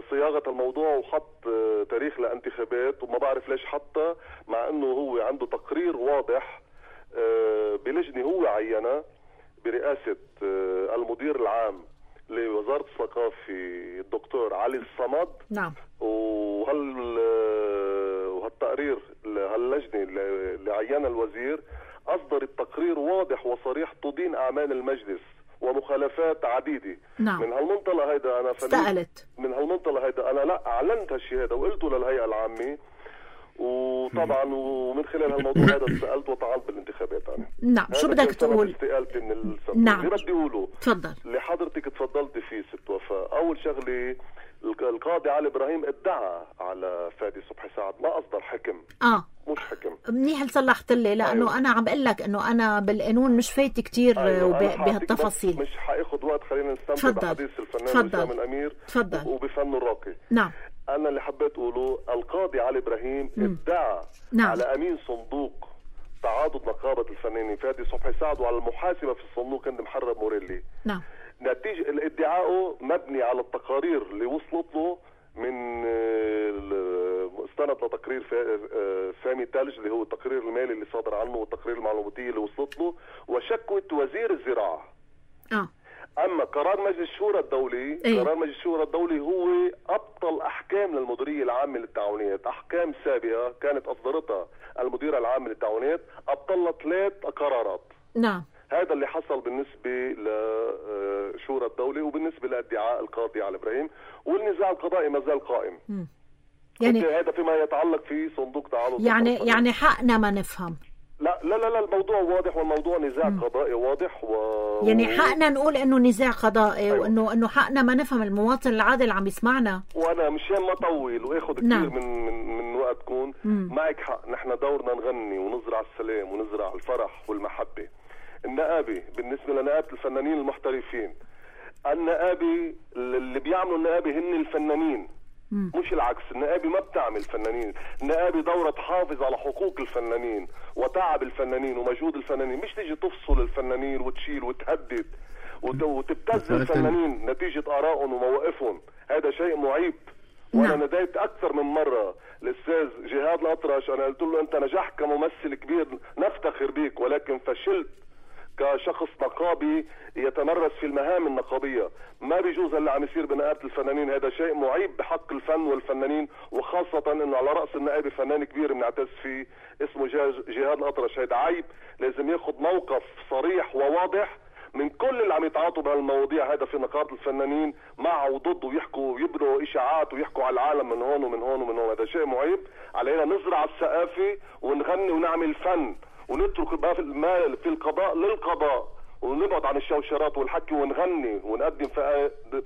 صياغة الموضوع وحط تاريخ لانتخابات، وما بعرف ليش حطها، مع انه هو عنده تقرير واضح بلجنة هو عينها برئاسة المدير العام لوزارة الثقافة الدكتور علي الصمد. نعم. وهالتقرير هاللجنة اللي عينها الوزير أصدرت تقرير واضح وصريح تدين أعمال المجلس ومخالفات عديدة. نعم. من هالمنطلق هيدا أنا استقلت. من هالمنطلق هيدا أنا لا أعلنت هالشيء هذا وقلته للهيئة العامة، وطبعا ومن خلال هالموضوع هذا استقلت وطعنت بالانتخابات أنا. نعم. شو بدك تقول؟ استقالتي من الصندوق. نعم. اللي بدي أقوله تفضل. اللي حضرتك تفضلت فيه ست وفاء، أول شغلة القاضي علي إبراهيم ادعى على فادي صبحي سعد، ما أصدر حكم. مش حكم. منيح اللي صلحت لي، لأنه أيوة. أنا عم بقول لك إنه أنا بالقانون مش فايت كتير. أيوة. بهالتفاصيل مش حاخذ وقت، خلينا نستمتع بحديث الفنان وسام الأمير. تفضل. وبفنه الراقي. نعم. أنا اللي حبيت أقوله القاضي علي إبراهيم ادعى نعم. على أمين صندوق تعاضد نقابة الفنانين فادي صبحي سعد وعلى المحاسبة في الصندوق هند محرم موريلي. نعم. نتيجة الادعاء مبني على التقارير اللي وصلت له من استند لتقرير سامي تلج اللي هو التقرير المالي اللي صادر عنه والتقرير المعلوماتي اللي وصلت له، وشكوى وزير الزراعة. أما قرار مجلس الشورى الدولي قرار مجلس الشورى الدولي هو أبطل أحكام للمديرية العامة للتعاونيات، أحكام سابقة كانت أصدرتها المديرة العامة للتعاونيات أبطلت 3 قرارات. نعم. هذا اللي حصل بالنسبة لشورى الدولة وبالنسبة لادعاء القاضي علي إبراهيم، والنزاع القضائي ما زال قائم. يعني هذا فيما يتعلق في صندوق تعاضد. يعني حقنا ما نفهم. لا لا لا الموضوع واضح، والموضوع نزاع قضائي واضح يعني حقنا نقول انه نزاع قضائي. أيوة. وانه حقنا ما نفهم المواطن العادي اللي عم يسمعنا. وانا مشان ما اطول واخذ كثير نعم. من وقتكم، معك حق، نحن دورنا نغني ونزرع السلام ونزرع الفرح والمحبه. النقابه بالنسبه لنقابه الفنانين المحترفين، النقابه اللي بيعملوا النقابه هن الفنانين، مش العكس. النقابة ما بتعمل فنانين، النقابة دورة تحافظ على حقوق الفنانين وتعب الفنانين ومجهود الفنانين، مش تيجي تفصل الفنانين وتشيل وتهدد وتبتز الفنانين نتيجة آرائهم ومواقفهم. هذا شيء معيب. وانا نديت اكثر من مرة الاستاذ جهاد الأطرش، انا قلت له انت نجحت كممثل كبير نفتخر بيك، ولكن فشلت كشخص نقابي يتمرس في المهام النقابية. ما بيجوز اللي عم يصير بنقابة الفنانين، هذا شيء معيب بحق الفن والفنانين، وخاصة انه على رأس النقابة فنان كبير بنعتز فيه اسمه جهاد الأطرش. هذا عيب، لازم ياخذ موقف صريح وواضح من كل اللي عم يتعاطوا بهالمواضيع هذا في نقابة الفنانين معه وضده، ويحكوا ويبروا اشاعات ويحكوا على العالم من هون ومن هون ومن هون. هذا شيء معيب. علينا نزرع الثقافة ونغني ونعمل فن، ونترك المال في القضاء للقضاء، ونبعد عن الشوشرات والحكي، ونغني ونقدم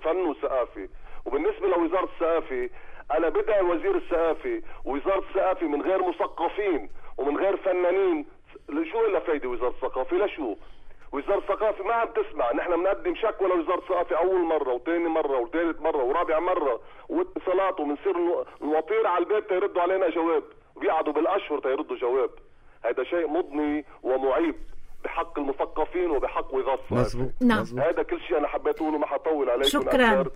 فن وثقافة. وبالنسبة لوزارة الثقافة أنا بدعي وزير الثقافة ووزارة الثقافة من غير مثقفين ومن غير فنانين. شو إلا فايدة وزارة الثقافة؟ لشو؟ وزارة الثقافة ما عم تسمع. نحن بنقدم شكوى لوزارة الثقافة أول مرة وثاني مرة وثالث مرة ورابع مرة واتصالات، وبنصير نوطير على الباب تيردوا علينا جواب، وبيقعدوا بالأشهر تيردوا جواب. هذا شيء مضني ومعيب بحق المثقفين وبحق وزارة الثقافة. نعم. هذا كل شيء أنا حبيت أقوله، ما حطول عليكم شكرا. أكثر.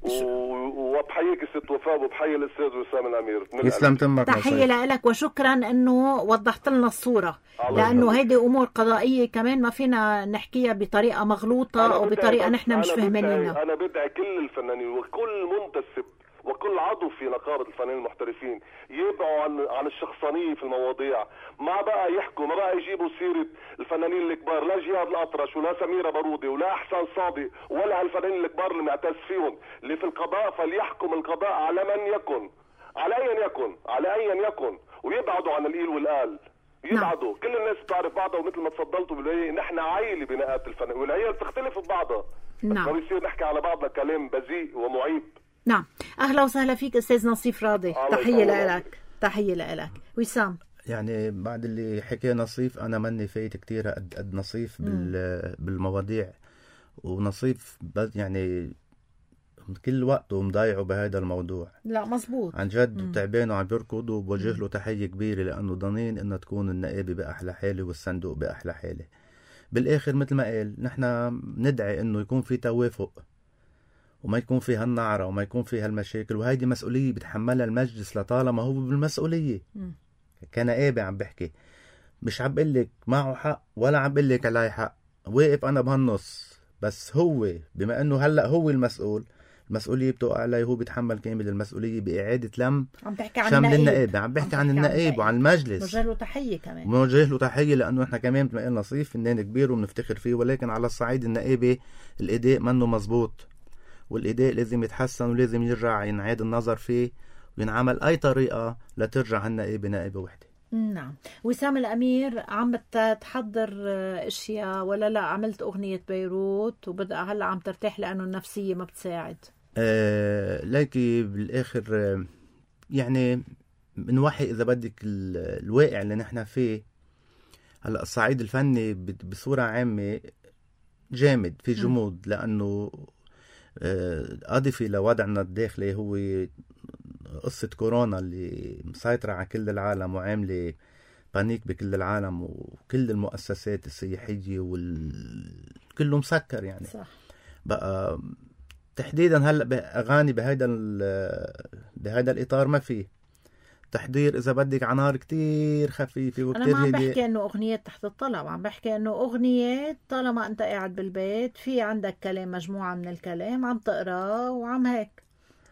وبحييك ست وفاء وبحيي الأستاذ وسام الأمير. يسلم تمك. تحية لك وشكرا انه وضحت لنا الصورة، لانه هيدي امور قضائية كمان ما فينا نحكيها بطريقة مغلوطة او بطريقة نحن مش فاهمينها. انا بدعي كل الفنانين وكل منتسب وكل عضو في نقابة الفنانين المحترفين يبعوا عن الشخصانية في المواضيع. ما بقى يحكوا، ما بقى يجيبوا سيرة الفنانين الكبار، لا جهاد الأطرش ولا سميرة بارودي ولا أحسان صادق ولا هالفنانين الكبار اللي معتز فيهم اللي في القضاء. فليحكم القضاء على من يكن، على أيا يكن، ويبعدوا عن القيل والقال. يبعدوا. كل الناس بتعرف بعضها، ومثل ما تفضلتوا بالبداية نحن عائلة بنقابة الفنانين، والعيال بتختلف ببعضها. نعم. ما بيصير نحكي على بعضنا كلام بذيء ومعيب. نعم. أهلا وسهلا فيك أستاذ نصيف راضي. تحية لك. تحية لك. وسام، يعني بعد اللي حكي نصيف أنا مني فايت كتير قد نصيف بالمواضيع. ونصيف يعني كل وقته مضايعه بهذا الموضوع. لا مزبوط عن جد تعبان وعم بيركض، وبوجه له تحية كبيرة لأنه ضنين إنه تكون النقابة بأحلى حالة والصندوق بأحلى حالة. بالآخر مثل ما قال نحن ندعي إنه يكون في توافق وما يكون في هالنعرة وما يكون في هالمشاكل، وهيدي مسؤولية بتحملها المجلس لطالما هو بالمسؤولية. كنقابة عم بحكي، مش عم بقلك معه حق ولا عم بقلك علي حق، واقف أنا بهالنص. بس هو بما إنه هلأ هو المسؤولية بتوقع عليه، هو بيتحمل كامل المسؤولية بإعادة لم عم تحكي عن شمل النقيب. النقابة. عم بحكي عن النقيب وعن المجلس. موجه له تحية كمان. موجه له تحية لأنه إحنا كمان مثل ما قلنا نصيف فنان كبير وبنفتخر فيه، ولكن على الصعيد النقابة الأداء منه مزبوط، والإداء لازم يتحسن ولازم يرجع ينعاد النظر فيه وينعمل أي طريقة لترجع هالنقابة نقابة وحدة. نعم. وسام الأمير، عم تحضر اشياء ولا لا؟ عملت أغنية بيروت وبدأ هلا عم ترتاح لأنه النفسية ما بتساعد. لكن بالآخر يعني بنوحي إذا بدك الواقع اللي نحن فيه هلا. الصعيد الفني بصورة عامة جامد، في جمود، لأنه أضفي لوضعنا الداخلي هو قصة كورونا اللي مسيطرة على كل العالم وعاملة بانيك بكل العالم، وكل المؤسسات السياحية كله مسكر يعني. صح. بقى تحديدا هلا بأغاني بهذا الإطار ما فيه تحضير، إذا بدك عنار كتير خفيفة وكتير هدية. أنا ما عم بحكي إنه أغنية تحت الطلب، عم بحكي إنه أغنية طالما أنت قاعد بالبيت في عندك كلام، مجموعة من الكلام عم تقرأ وعم هيك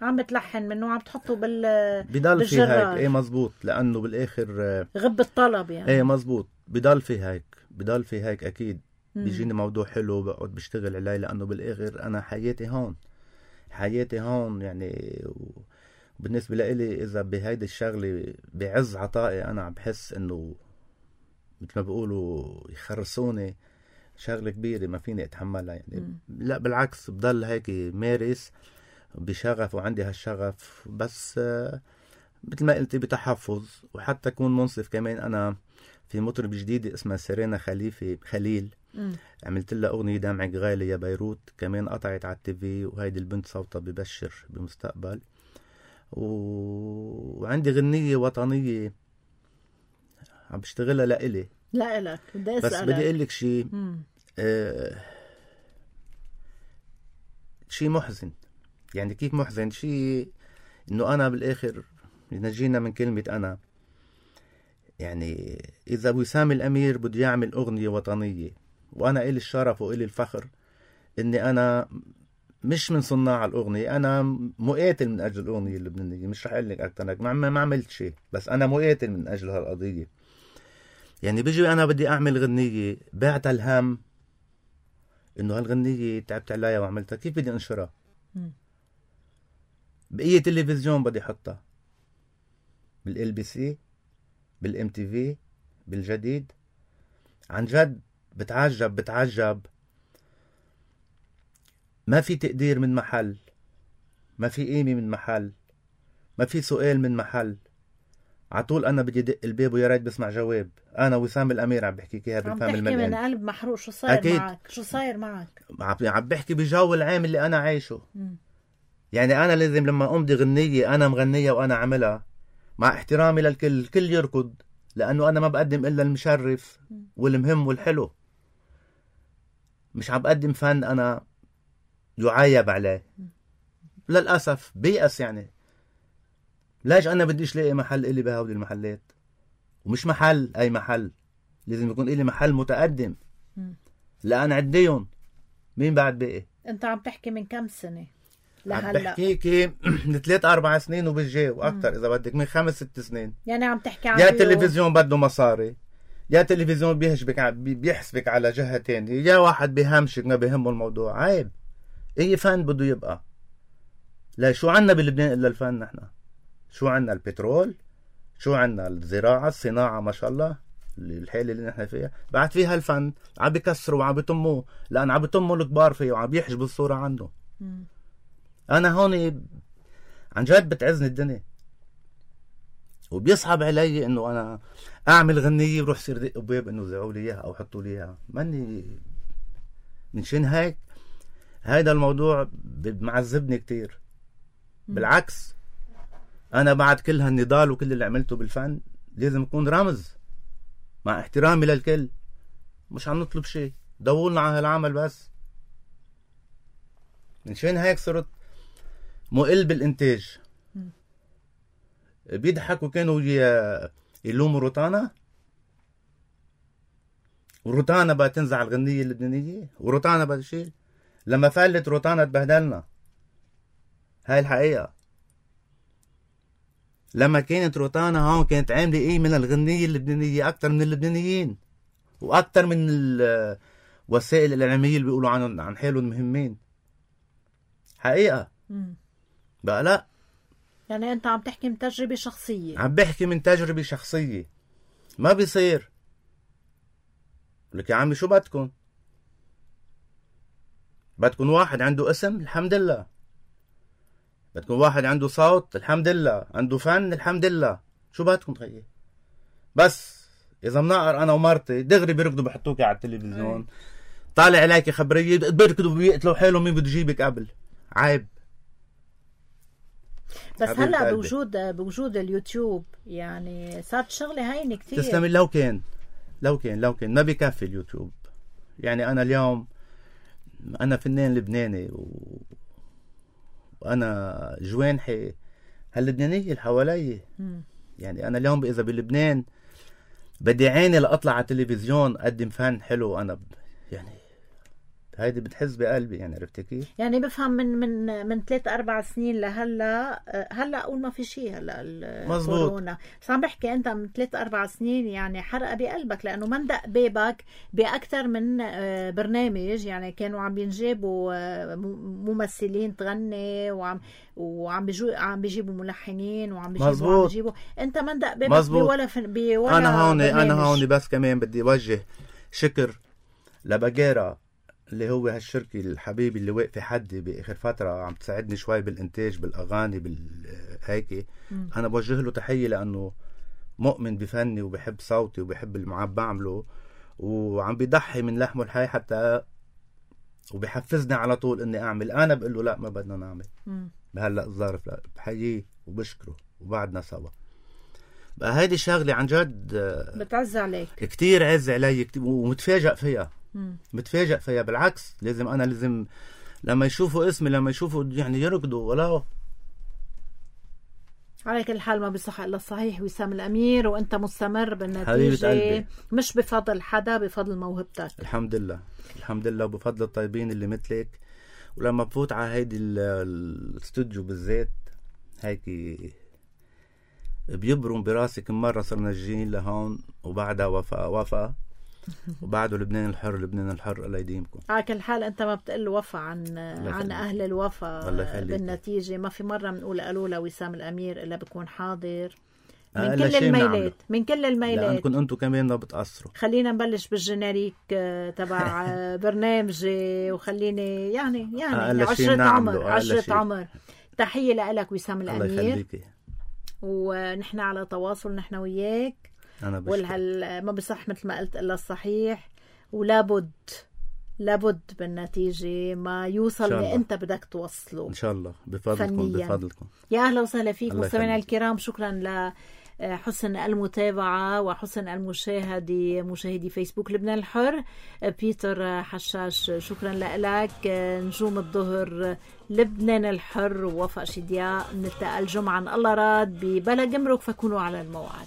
عم بتلحن منه وعم تحطه بضل في هيك. ايه مزبوط، لأنه بالآخر غب الطلب يعني. ايه مزبوط، بضل في هيك أكيد. بيجيني موضوع حلو بقعد بشتغل عليه، لأنه بالآخر أنا حياتي هون يعني. بالنسبة لإلي إذا بهيدي الشغلة بعز عطائي أنا عم بحس إنه مثل ما بيقولوا يخرسوني، شغلة كبيرة ما فيني أتحملها يعني. لا بالعكس، بضل هيك مارس بشغف وعندي هالشغف، بس مثل ما قلتي بتحفظ. وحتى أكون منصف كمان، أنا في مطرب جديدة اسمها سيرينا خليل عملت لها أغنية دمعك غالي يا بيروت، كمان قطعت على التيفي، وهيدي البنت صوتها ببشر بمستقبل. وعندي غنية وطنية عم بشتغلها لإلي. لا لك بدي أسألك، بس بدي أقول لك شيء شيء محزن. يعني كيف محزن؟ شيء إنه أنا بالآخر نجينا من كلمة أنا. يعني إذا وسام الأمير بده يعمل أغنية وطنية، وأنا إلي الشرف وإلي الفخر إني أنا مش من صناع الأغنية، أنا مقاتل من أجل الأغنية اللبنانية. مش رح أقول لك أكتر، ما عملت شيء، بس أنا مقاتل من أجل هالقضية. يعني بيجي أنا بدي أعمل غنية بعت الهم إنه هالغنية تعبت عليها وعملتها، كيف بدي أنشرها؟ بأي تلفزيون بدي حطها؟ بالLBC، بالMTV، بالجديد؟ عن جد بتعجب. ما في تقدير من محل، ما في قيمة من محل، ما في سؤال من محل. عطول أنا بدي دق الباب ويا ريت بسمع جواب. أنا وسام الأمير عم بحكيك إياها بالفم الملئ. من قلب محروق. شو صاير معك؟ شو صاير معك؟ عم بحكي بجو العام اللي أنا عايشه. يعني أنا لازم لما أمضي غنية أنا مغنية وأنا عملها مع احترامي للكل، الكل يركض، لأنه أنا ما بقدم إلا المشرف والمهم والحلو. مش عم بقدم فن أنا يعايب عليه. للأسف بيأس. يعني ليش أنا بديش لاقي محل إلي بهودي المحلات؟ ومش محل أي محل، لازم يكون إلي محل متقدم لأن عديهم. مين بعد باقي؟ أنت عم تحكي من كم سنة عم بحكيكي من 3-4 سنين وبالجاي وأكتر إذا بدك، من 5-6 سنين. يعني عم تحكي عن يا تلفزيون بده مصاري، يا تلفزيون بيحسبك على جهة تانية، يا واحد بيهمشك ما بيهمه الموضوع. عيب. اي فن بده يبقى. لا شو عنا بلبنان الا الفن؟ نحن شو عنا؟ البترول، شو عنا؟ الزراعة، الصناعة، ما شاء الله الحالة اللي نحن فيها بعد فيها الفن. عم بيكسروا وعم بيطموه لأن عم بيطموا الكبار فيه وعم بيحجبوا الصورة عنده. أنا هون عن جد بتعزني الدنيا وبيصعب علي إنه أنا أعمل غنية وروح صير دق باب إنه زعوا لي إياها أو حطوا لي إياها. ماني من شين هيك. هيدا الموضوع معذبني كتير. بالعكس أنا بعد كل هالنضال وكل اللي عملته بالفن لازم يكون رمز مع احترامي للكل. مش عم نطلب شيء، دولنا على هالعمل بس. من شين هيك صرت مقل بالإنتاج. بيضحكوا كانوا يلوموا روتانا، وروتانا بقى تنزع الغنية اللبنانية، وروتانا بقى تشيل. لما فلت روتانا تبهدلنا. هاي الحقيقة. لما كانت روتانا هون كانت عاملة ايه من الغنية اللبنانية أكتر من اللبنانيين وأكتر من الوسائل الإعلامية اللي بيقولوا عن حالهم مهمين. حقيقة. بقى لا. يعني أنت عم تحكي من تجربة شخصية. عم بحكي من تجربة شخصية. ما بيصير لك يا عمي شو بدكن؟ بدكن واحد عنده اسم؟ الحمد لله. بدكن واحد عنده صوت؟ الحمد لله. عنده فن؟ الحمد لله. شو بدكن خيي؟ بس إذا منقر أنا ومرتي دغري بيركضوا بحطوكي على التلفزيون، طالع عليكي خبرية، بيركضوا بيقتلوا حالهم مين بده يجيبك قبل. عيب. بس هلا بوجود اليوتيوب يعني صارت شغله هينه كثير. تسلمي. لو كان ما بيكفي اليوتيوب. يعني انا اليوم انا فنان لبناني وانا جوانحي هاللبنانيه اللي حوالي. يعني انا اليوم اذا بلبنان بدي عيني لاطلع على التلفزيون اقدم فن حلو، انا يعني هيدي بتحس بقلبي. يعني عرفتي كيف؟ يعني بفهم من 3-4 سنين هلا اقول ما في شيء هلا الكورونا. بس عم بحكي انت من 3-4 سنين يعني حرقه بقلبك، لانه من دق بيبك باكثر من برنامج. يعني كانوا عم بينجيبوا ممثلين تغني وعم بيجيبوا ملحنين وعم بيجيبوا انت من دق بيبك بولا انا هون بس كمان بدي اوجه شكر لبقيرة اللي هو هالشركة الحبيبي اللي واقفة حدي بآخر فترة عم تساعدني شوي بالإنتاج بالأغاني بالهيك. أنا بوجه له تحية لأنه مؤمن بفني وبحب صوتي وبحب اللي عم بعمله وعم بيضحي من لحمه الحي حتى وبحفزني على طول إني أعمل. أنا بقول له لا ما بدنا نعمل بهلأ الظرف. لا بحييه وبشكره وبعدنا سوا. بقى هيدي شغلة عن جد بتعز عليك كتير. عز علي كتير ومتفاجئ فيها. متفاجئ فيها. بالعكس لازم لما يشوفوا اسمي لما يشوفوا يعني يركضوا. ولا على كل حال ما بيصح الا الصحيح وسام الامير، وانت مستمر بالنتيجه مش بفضل حدا، بفضل موهبتك. الحمد لله وبفضل الطيبين اللي مثلك. ولما بفوت على هيدي الاستوديو بالذات هيك بيبرم براسي كم مرة صرنا جايين لهون وبعدها وفاء وبعده لبنان الحر الله يديمكم. على كل حال انت ما بتقل وفا عن اهل الوفا. بالنتيجه ما في مره بنقول قالوا لوسام الامير الا بكون حاضر من كل الميلات لأنكم انتم كمان ما بتقصروا. خلينا نبلش بالجينيريك تبع برنامجي وخليني يعني عشرة عمر تحية لك وسام الله الأمير، يخليكي. ونحن على تواصل نحن وياك. أنا بشكر. ما بصح مثل ما قلت إلا الصحيح، ولابد بالنتيجة ما يوصل اللي أنت بدك توصله إن شاء الله بفضلكم. يا أهلا وسهلا فيك الله مستمعينا يخليك. الكرام. شكرا لحسن المتابعة وحسن المشاهدة، مشاهدي فيسبوك لبنان الحر. بيتر حشاش شكرا لك. نجوم الظهر لبنان الحر ووفاء شدياء. نلتقى الجمعة إن الله راد ببلا جمرك، فكونوا على الموعد.